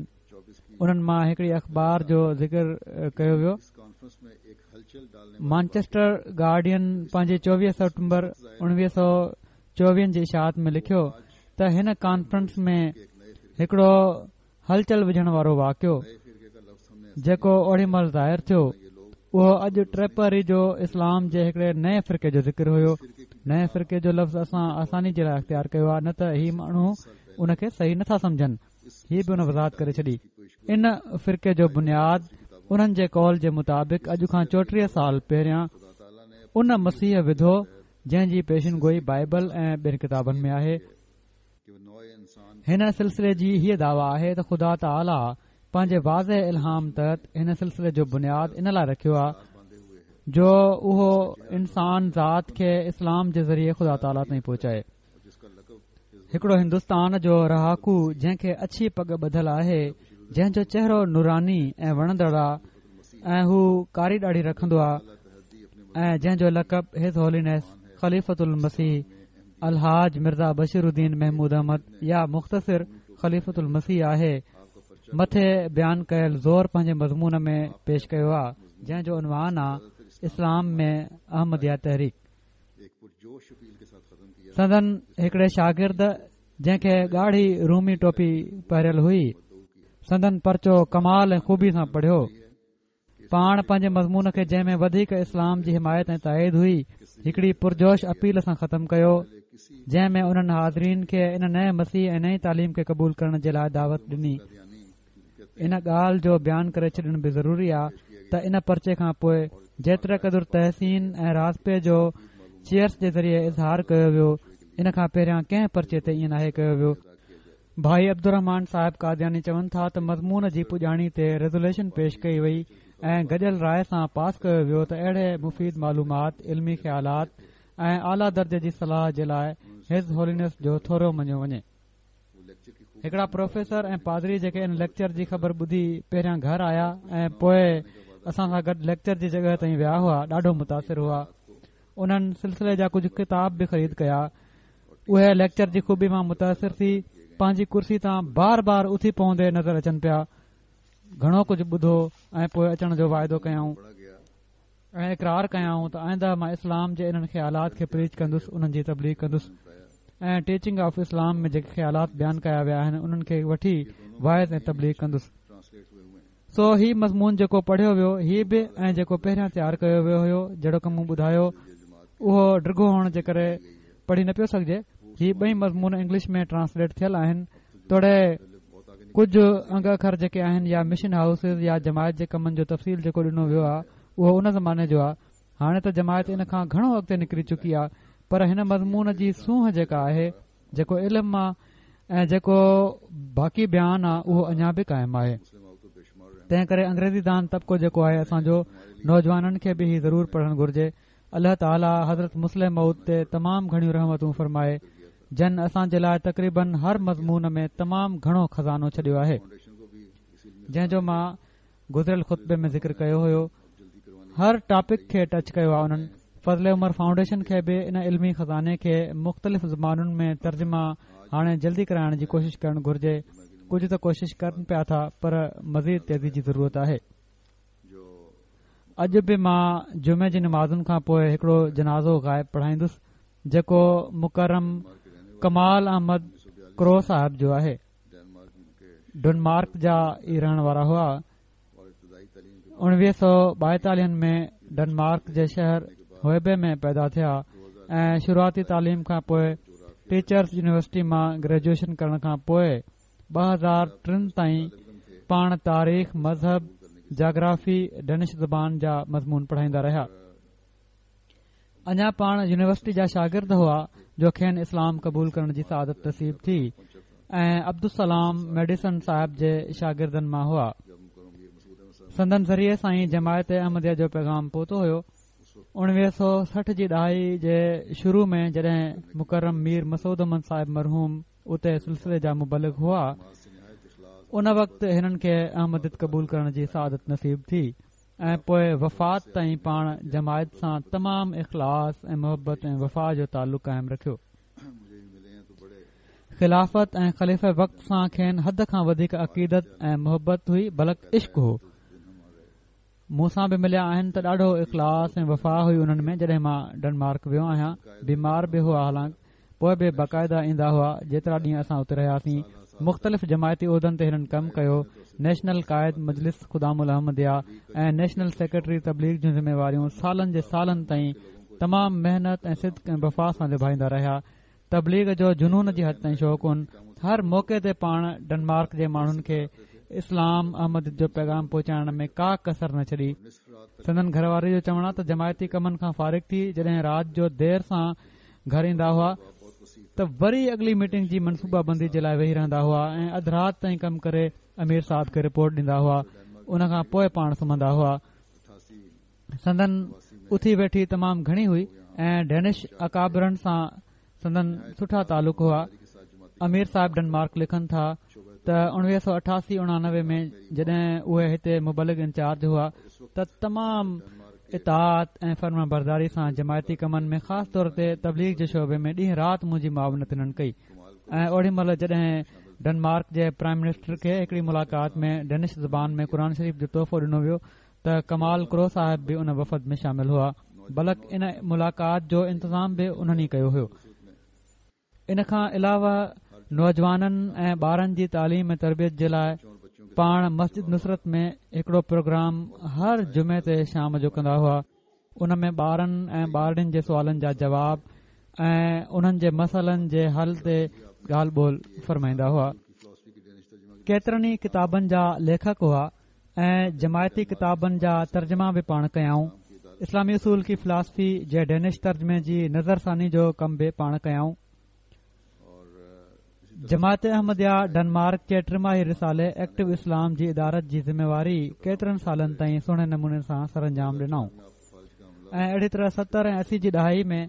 انهن مان هڪڙي اخبار جو ذڪر ڪيو ويو. مانچسٽر گارڊين پنهنجي چوويهه سيپٽمبر اڻويهه سؤ چوويهن جي اشاعت ۾ لکيو ته هن ڪانفرنس ۾ هڪڙو هلچل وجهڻ وارو واقعو جيڪو اوڏي مهل ظاهر ٿيو اهو اڄ ٽيپهري جو اسلام جي هڪڙي نئين فرقي جو ذڪر هيو. نئين فرقي جو لفظ اسان آساني جي لاءِ اختيار ڪيو آهي، نه ته هي ماڻهو ان کي صحيح نٿا سمجهن. هي به ان وضاحت ڪري ڇڏي. ان فرقي جو بنياد انهن جي قول جي مطابق اڄ کان چوٽيهه سال پهريان ان مسيح وڌو جنهن جي پيشن گوئي بائبل ۽ ٻين ڪتابن ۾ آهي. هن سلسلي جي هيءَ دعويٰ آهي ته خدا تعاليٰ پنهنجي واضح الهام تحت هن سلسلي جو بنياد ان لاءِ رکيو آهي جو اهو انسان ذات کي اسلام جي ذريعي خدا تعاليٰ تائين پهچائي. هڪڙو هندستان جو رهاڪو جنهن کي اڇي پڳ ٻڌل آهي، جنهن جو چهرو نوراني ۽ وڻندڙ آهي ۽ هو ڪاري ڏاڙهي رکندو آهي ۽ جنهن جو لقب his هولينيس خليفة المسيح الحاج مرزا بشير الدين محمود احمد يا مختصر خليفة المسيح آهي، مٿي بيان ڪيل زور پنهنجي مضمون ۾ پيش ڪيو آهي جنهن جو عنوان آهي اسلام ۾ احمديه تحريڪ. سندن هڪڙي شاگرد جنهن کي ڳاڙهي رومي ٽوپي پهريل هئي سندن پرچو ڪمال ۽ خوبي سان پڙهيو. پاڻ پنهنجي مضمون کي جنهن ۾ وڌيڪ اسلام جي حمايت ۽ تائيد هئي هڪڙي پرجوش اپيل سان ختم ڪيو جنهن ۾ انهن حاضرين کي ان نئين مسيح ۽ نئين تعليم کي قبول ڪرڻ جي لاءِ دعوت ڏني. ان ڳالهه جو بيان ڪري ڇڏڻ به ضروري آهي ته ان پرچي کان پوءِ جيتري قدر تحسين ۽ راضپي جو چيئرس جي ذريعي اظهار ڪيو ويو ان کان پهريان ڪنهن پرچي تي ائين ناهي ڪيو ويو. ڀائي عبدالرحمان صاحب قادياني چون ٿا ته مضمون جي پڄاڻي تي ريزوليشن پيش ڪئي وئي ۽ گڏيل راءِ سان پاس ڪيو ويو ته اهڙي مفيد معلومات، علمي خيالات ۽ اعليٰ درجي جي صلاح جي لاءِ his هولينيس جو ٿورو مڃيو وڃي. هڪڙا پروفيسر ۽ پادري جيڪي ان ليڪچر جي خبر ٻڌي پهريان گهر آيا ۽ پوءِ اسان سان گڏ ليڪچر جي جڳهه تائين ويا هئا، ڏاڍو متاثر هئا. انهن سلسلي جا ڪجهه ڪتاب به خريد ڪيا. اهي ليڪچر جي خوبي مان متاثر ٿي پنهنجي ڪرسي تان بار بار اٿي پوندي نظر اچن پيا. گهڻو ڪجهه ٻڌو ۽ پوءِ اچڻ جو واعدو ڪيائون ۽ اقرار ڪيائون ته آئنده مان اسلام جي انهن خيالات کي پريچ ڪندس، انهن جي تبليغ ڪندس ۽ ٽيچنگ آف اسلام ۾ جيڪي خيالات بيان ڪيا ويا آهن انهن کي وٺي واعظ ۽ تبليغ ڪندس. سو هي مضمون جيڪو پڙهيو ويو هي به ۽ جيڪو پهريان تيار ڪيو ويو هيو جهڙوڪ مون ٻڌايو اهو ڊگهو هئڻ جي ڪري پڙهي نه پيو سگهجي. هي ٻئي مضمون انگلش ۾ ٽرانسليٽ ٿيل آهن. توڙي ڪجهه انگ اکر جيڪي آهن يا مشن هائوسز يا جماعت جي ڪمن جو تفصيل جيڪو ڏنو ويو آهي اهو ان زماني جو آهي. هاڻي ته جماعت ان کان گهڻو اڳتي نڪري چڪي آهي، پر هن مضمون جي سونهن جيڪا آهي، جيڪو علم آهي ۽ جيڪو باقي بيان آهي اهو اڃا به قائم آهي. تنهن ڪري انگريزي دان طبقو جيڪو آهي اسان جو، نوجوانن کي به هي ضرور پڙهڻ گهرجي. الله تعاليٰ حضرت مصلح موعود تي تمام گهڻيون رحمتون فرمائي، جن اسان جي لاءِ تقريبن هر مضمون ۾ تمام گهڻو خزانو ڇڏيو آهي، جنهن جو مان گذريل خطبي ۾ ذڪر ڪيو هيو. هر ٽاپڪ کي ٽچ ڪيو آهي انهن. فضل عمر فائونڊيشن کي به ان علمي خزاني کي مختلف زبانن ۾ ترجما هاڻي جلدي ڪرائڻ جي ڪوشش ڪرڻ گهرجي. ڪجهه ته ڪوشش ڪن پيا ٿا، پر مزيد تيزي جي ضرورت آهي. اڄ به مان جمعي جي نمازن کان پوءِ هڪڙو جنازو غائب پڙهائيندس، جيڪو مڪرم ڪمال احمد ڪرو صاحب جو آهي. ڊنمارڪ جا ئي رهڻ وارا هئا. اڻويهه سؤ ٻائيتاليهن ۾ ڊنمارڪ جي شهر هوئبي ۾ پيدا ٿيا ۽ شروعاتي تعليم کان پوءِ ٽيچرس يونيورسٽي مان گريجوئيشن ڪرڻ کان پوءِ ٻه هزار ٽن تائين پاڻ تاريخ، مذهب، جاگرافي، ڊينش زبان جا مضمون پڙهائيندا رهيا. اڃا پاڻ يونيورسٽي جا شاگرد هئا جو کين اسلام قبول ڪرڻ جي سعادت نصيب ٿي ۽ عبدالسلام ميڊيسن صاحب جي شاگردن مان هئا. سندن ذريعي سان ئي جماعت احمديه جو پيغام پهتو هيو. اڻويهه سؤ سٺ جي ڏهائي جي شروع ۾ جڏهن مڪرم مير مسعود احمد صاحب مرحوم اتي سلسلي جا مبلغ هئا، ان وقت هنن کي احمديت قبول ڪرڻ جي سعادت نصيب ٿي ۽ پوءِ وفات تائين پاڻ جماعت سان تمام اخلاص ۽ محبت ۽ وفا جو تعلق قائم رکيو. خلافت ۽ خليفه وقت سان کين حد کان وڌيڪ عقيدت ۽ محبت هئي، بلڪ عشق هو. مون سان به مليا آهن ته ڏاڍو اخلاص ۽ وفا هئي انهن ۾. جڏهن مان ڊنمارڪ ويو آهيان، بيمار به هئا، حالانڪ پوءِ به باقاعده ايندا هئا. جيترا ڏينهن اسان اتي رهياسين، مختلف جماعتي عهدن تي هنن ڪم ڪيو. نيشنل قائد مجلس خدام الاحمديه ۽ نيشنل سيڪريٽري تبليغ جون ذميواريون سالن جي سالن تائين تمام محنت ۽ صدق ۽ وفا سان نڀائيندا رهيا. تبليغ جو جنون جي حد تائين شوق هن. هر موقعي تي پاڻ ڊنمارڪ جي ماڻهن کي اسلام احمديت جو پيغام پهچائڻ ۾ ڪا ڪسر نه ڇڏي. سندن گهر واري جو چوڻ آهي ته جماعتي ڪمن کان فارغ ٿي جڏهن رات جو دير سان گهر ايندا هئا ته وري اڳلي ميٽنگ جي منصوبه بندي جي لاءِ ويهي رهندا هئا ۽ اڌ رات تائين ڪم ڪري امير صاحب کي رپورٽ ڏيندا هئا. ان کان پوءِ پاڻ سمهندا هئا. سندن اٿي ويٺي تمام گهڻي هئي ۽ ڊينش اڪابرن سان سندن سٺا تعلق هئا. امير صاحب ڊنمارڪ لکن ٿا ته اڻويهه سؤ اٺاسي اڻانوي ۾ جڏهن اهي هتي مبلغ انچارج هئا ته تمام اطاعت ۽ فرمانبرداري سان جماعتي ڪمن ۾ خاص طور تي تبليغ جي شعبي ۾ ڏينهن رات منهنجي معاونت هنن ڪئي. ۽ اوڏي مهل جڏهن ڊنمارڪ جي پرائم منسٽر کي هڪڙي ملاقات ۾ ڊينش زبان ۾ قرآن شريف جو تحفو ڏنو ويو ته ڪمال ڪرو صاحب به ان وفد ۾ شامل هئا، بلڪ ان ملاقات جو انتظام به انهن ئي ڪيو هيو. ان کان علاوه نوجوانن ۽ ٻارن جي تعليم ۽ تربيت جي لاءِ پاڻ مسجد نصرت ۾ هڪڙو پروگرام هر جمعي تي شام جو ڪندا هئا. ان ۾ ٻارن ۽ ٻارڙين جي سوالن جا جواب ۽ انهن جي مسئلن جي حل تي ڳالهه ٻولهه فرمائيندا هئا. ڪيترن ئي ڪتابن جا ليکڪ هئا ۽ جماعتي ڪتابن جا ترجما به پاڻ ڪيائون. اسلامي اصول ڪي فلاسفي جي ڊينش ترجمي جي نظرثاني جو ڪم به پاڻ ڪيائون. جماعت احمديه ڊنمارڪ جي ٽماهي رسالي ايڪٽو اسلام جي ادارت جي ذميواري ڪيترن سالن تائين سهڻي نموني سان سرانجام ڏنائون ۽ اهڙي طرح ستر ۽ اسي جي ڏهائي ۾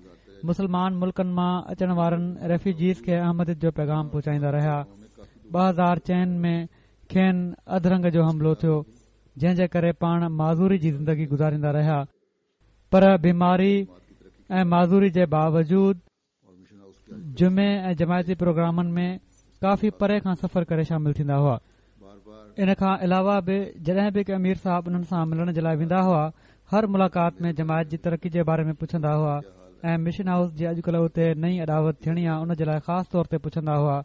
مسلمان ملڪن مان اچڻ وارن ريفيوجيز کي احمديت جو پيغام پهچائيندا رهيا. ٻه هزار چئن ۾ کين اڌ رنگ جو حملو ٿيو، جنهن جي ڪري پاڻ معذوري جي زندگي گذاريندا رهيا، پر بيماري ۽ معذوري جي باوجود جمعي ۽ جماعتي پروگرامن ۾ ڪافي پري کان سفر ڪري شامل ٿيندا هئا. ان کان علاوه به جڏهن به ڪي امير صاحب انهن سان ملڻ جي لاءِ ويندا هئا، هر ملاقات ۾ جماعت جي ترقي جي باري ۾ پڇندا هئا ۽ مشن هائوس جي اڄڪلهه اتي نئين اڏاوت ٿيڻي آهي ان جي لاءِ خاص طور تي پڇندا هئا.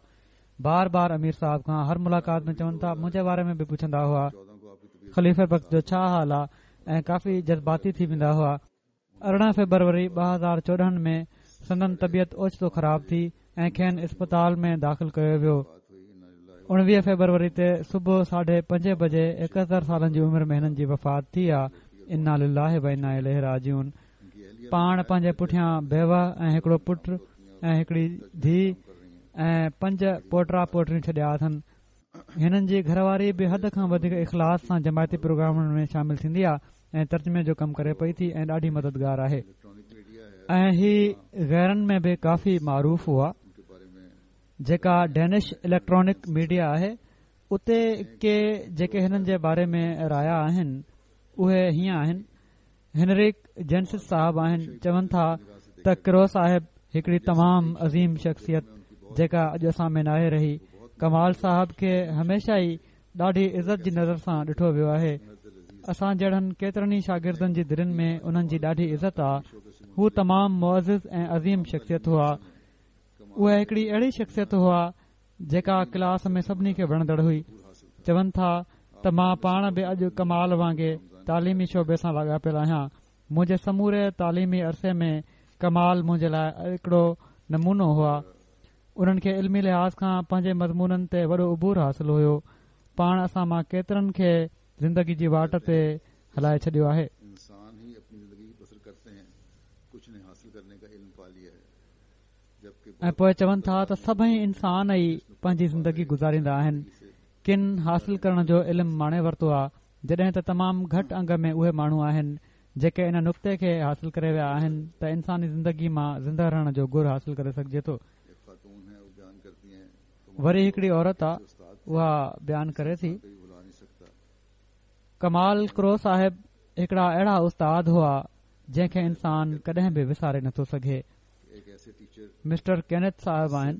بار بار امير صاحب کان هر ملاقات ۾ چون ٿا منهنجي باري ۾ به پڇندا هئا، خليفه وقت جو ڇا حال آهي ۽ ڪافي جذباتي ٿي ويندا هئا. ارڙهن فيبروري ٻه هزار چوڏهن ۾ سندن طبيعت اوچتو خراب ٿي ۽ کين اسپتال ۾ داخل ڪيو ويو. اڻويهه فيبروري تي صبح ساڍي پنجين بجي ايڪهتر سالن جي عمر ۾ هنن جي وفات ٿي آ. انا لله و انا اليه راجعون. پاڻ پنهنجي پٺيان بيوه ۽ هڪڙو پٽ ۽ هڪڙي ڌيءُ ۽ پنج پوٽا پوٽريون ڇڏيا اٿن. هنن جي گهرواري به حد کان وڌيڪ اخلاص سان جماعتي پروگرامن ۾ شامل ٿيندي آ ۽ ترجمي جو ڪم ڪري پئي ٿي ۽ ڏاڍي مددگار آهي ۽ هي غيرن ۾ به ڪافي معروف هئا. جيڪا ڊينش اليڪٽرانڪ ميڊيا آهي اتي ڪي جيڪي هنن جي باري ۾ رايا آهن اهي هيئن آهن. هنريڪ جينسس صاحب آهن، چون ٿا ته ڪرو صاحب هڪڙي تمام عظيم شخصيت جيڪا اڄ اسان ۾ ناهي رهي. ڪمال صاحب کي هميشه ئي ڏاڍي عزت جي نظر سان ڏٺو ويو آهي. اسان جهڙن ڪيترن ئي شاگردن جي دلين ۾ انهن جي ڏاڍي عزت آ. هو تمام معزز ۽ عظيم شخصيت هئا. اهي هڪڙي اهڙي شخصيت هئا جيڪا ڪلاس ۾ سڀني کي وڻندڙ هئي. چون ٿا ته مان پاڻ به اڄ ڪمال وانگي تعليمي شعبي سان لاڳاپيل آهيان. منهنجي سموري تعليمي عرصي ۾ ڪمال منهنجي لاءِ هڪڙو نمونو هئا. انهن کي علمي لحاظ کان پنهنجي مضمونن تي وڏو عبور حاصل هيو. پاڻ اسان مان ڪيترن کي زندگي جي واٽ تي هلائي ڇڏيو آهي. ۽ پوءِ چون ٿا ته سڀئي انسان ئي پنهنجي زندگي گذاريندا آهن. ڪن حاصل ڪرڻ جو علم ماڻي ورتو آهي، جڏهن ته تمام گهٽ انگ ۾ اهي ماڻهو آهن جيڪي ان نقطي کي حاصل ڪري ويا آهن ته انساني زندگي مان زنده رهڻ جو گر حاصل ڪري سگهجي ٿو. وري هڪڙي عورت آهي، اها بيان ڪري ٿي، ڪمال ڪرو صاحب هڪڙا اهڙا استاد هئا جنهن کي انسان ڪڏهن به وساري نٿو سگهي. مسٽر ڪينيٿ صاحب آهن،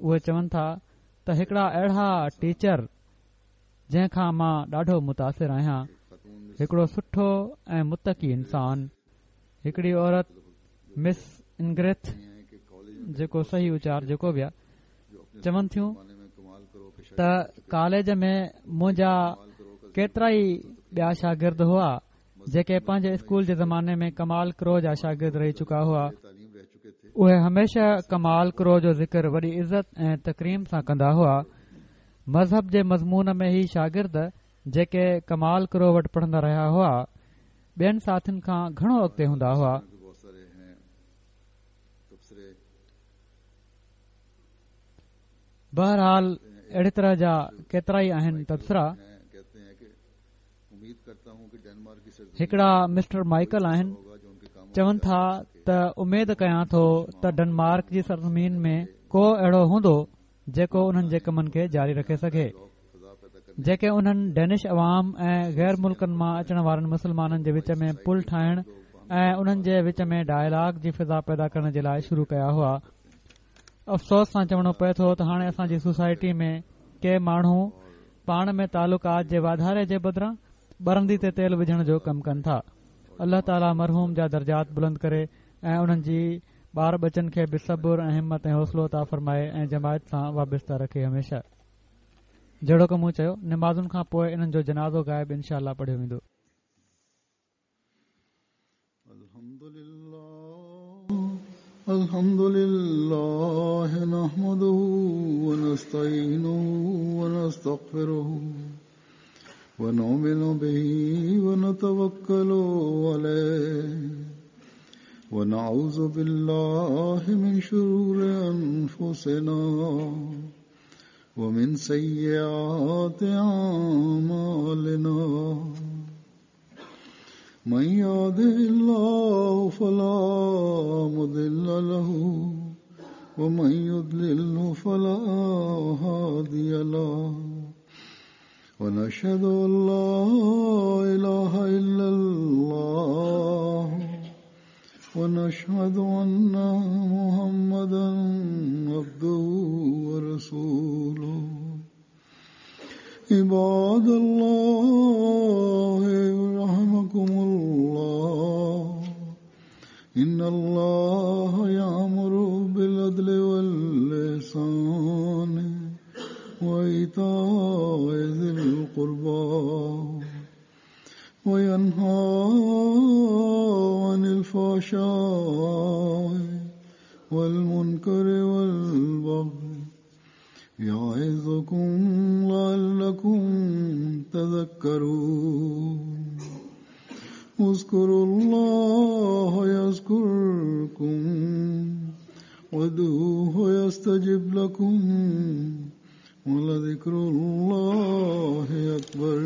اهي چون ٿا ته هڪڙا اهڙا ٽيچر جنهن کان مان ڏاڍو متاثر آهيان، هڪڙو سٺو ۽ متقي انسان. هڪڙي عورت مس انگريٿ، جيڪو صحيح اچار جيڪو به آهي، چون ٿيون ته ڪاليج ۾ منهنجا ڪيترا ئي ٻيا شاگرد هئا جيڪي پنهنجي اسڪول جي زماني ۾ ڪمال ڪرو جا شاگرد رهي چڪا هئا. اهي هميشه ڪمال ڪرو جو ذڪر وڏي عزت ۽ تڪريم سان ڪندا هئا. مذهب جي مضمون ۾ هي شاگرد جيڪي ڪمال ڪرو وٽ پڙهندا رهيا هئا ٻين ساٿين کان گهڻو اڳتي هوندا هئا. بهرحال اهڙي طرح جا ڪيترا ئي آهن تبصرا. هڪڙا مسٽر مائيڪل آهن، چون ٿا ته اميد ڪيان ٿو ته ڊنمارڪ جي سرزمين ۾ ڪو اهڙو هوندو جيڪو انهن جي ڪمن کي جاري رکي سگهي، جيڪي انهن ڊينش عوام ۽ غير ملڪن مان اچڻ وارن مسلمانن جي وچ ۾ پل ٺاهڻ ۽ انهن جي وچ ۾ ڊائلاگ جي فضا پيدا ڪرڻ جي لاءِ شروع ڪيا هئا. افسوس سان چوڻو پئي ٿو ته هاڻي اسان جي سوسائٽي ۾ ڪي ماڻهو پاڻ ۾ تعلقات جي واڌاري جي بدران ٻرندي تي تيل وجهڻ جو ڪم ڪن ٿا. الله تعاليٰ مرحوم جا درجات بلند ڪري ۽ انهن جي ٻار ٻچن کي به صبر ۽ همت ۽ حوصلو عطا فرمائي ۽ جماعت سان وابسته رکي هميشه. جهڙوڪ مون چيو، نمازن کان پوءِ انهن جو جنازو غائب انشاء الله پڙهيو ويندو. الحمد لله نحمده ونستعينه ونستغفره ونؤمن به ونتوكل عليه ونعوذ بالله من شرور أنفسنا ومن سيئات أعمالنا من يهده الله فلا مضل له ومن يضلله فلا هادي له ونشهد أن لا إله إلا الله ونشهد وأشهد أن محمدا عبده ورسوله. عباد الله رحمكم الله، إن الله يأمر بالعدل والإحسان وإيتاء ذي القربى وينهى عن الفحشاء والمنكر والبغي يعظكم لعلكم تذكرون. اذكروا الله يذكركم وادعوه يستجب لكم ولذكر الله أكبر.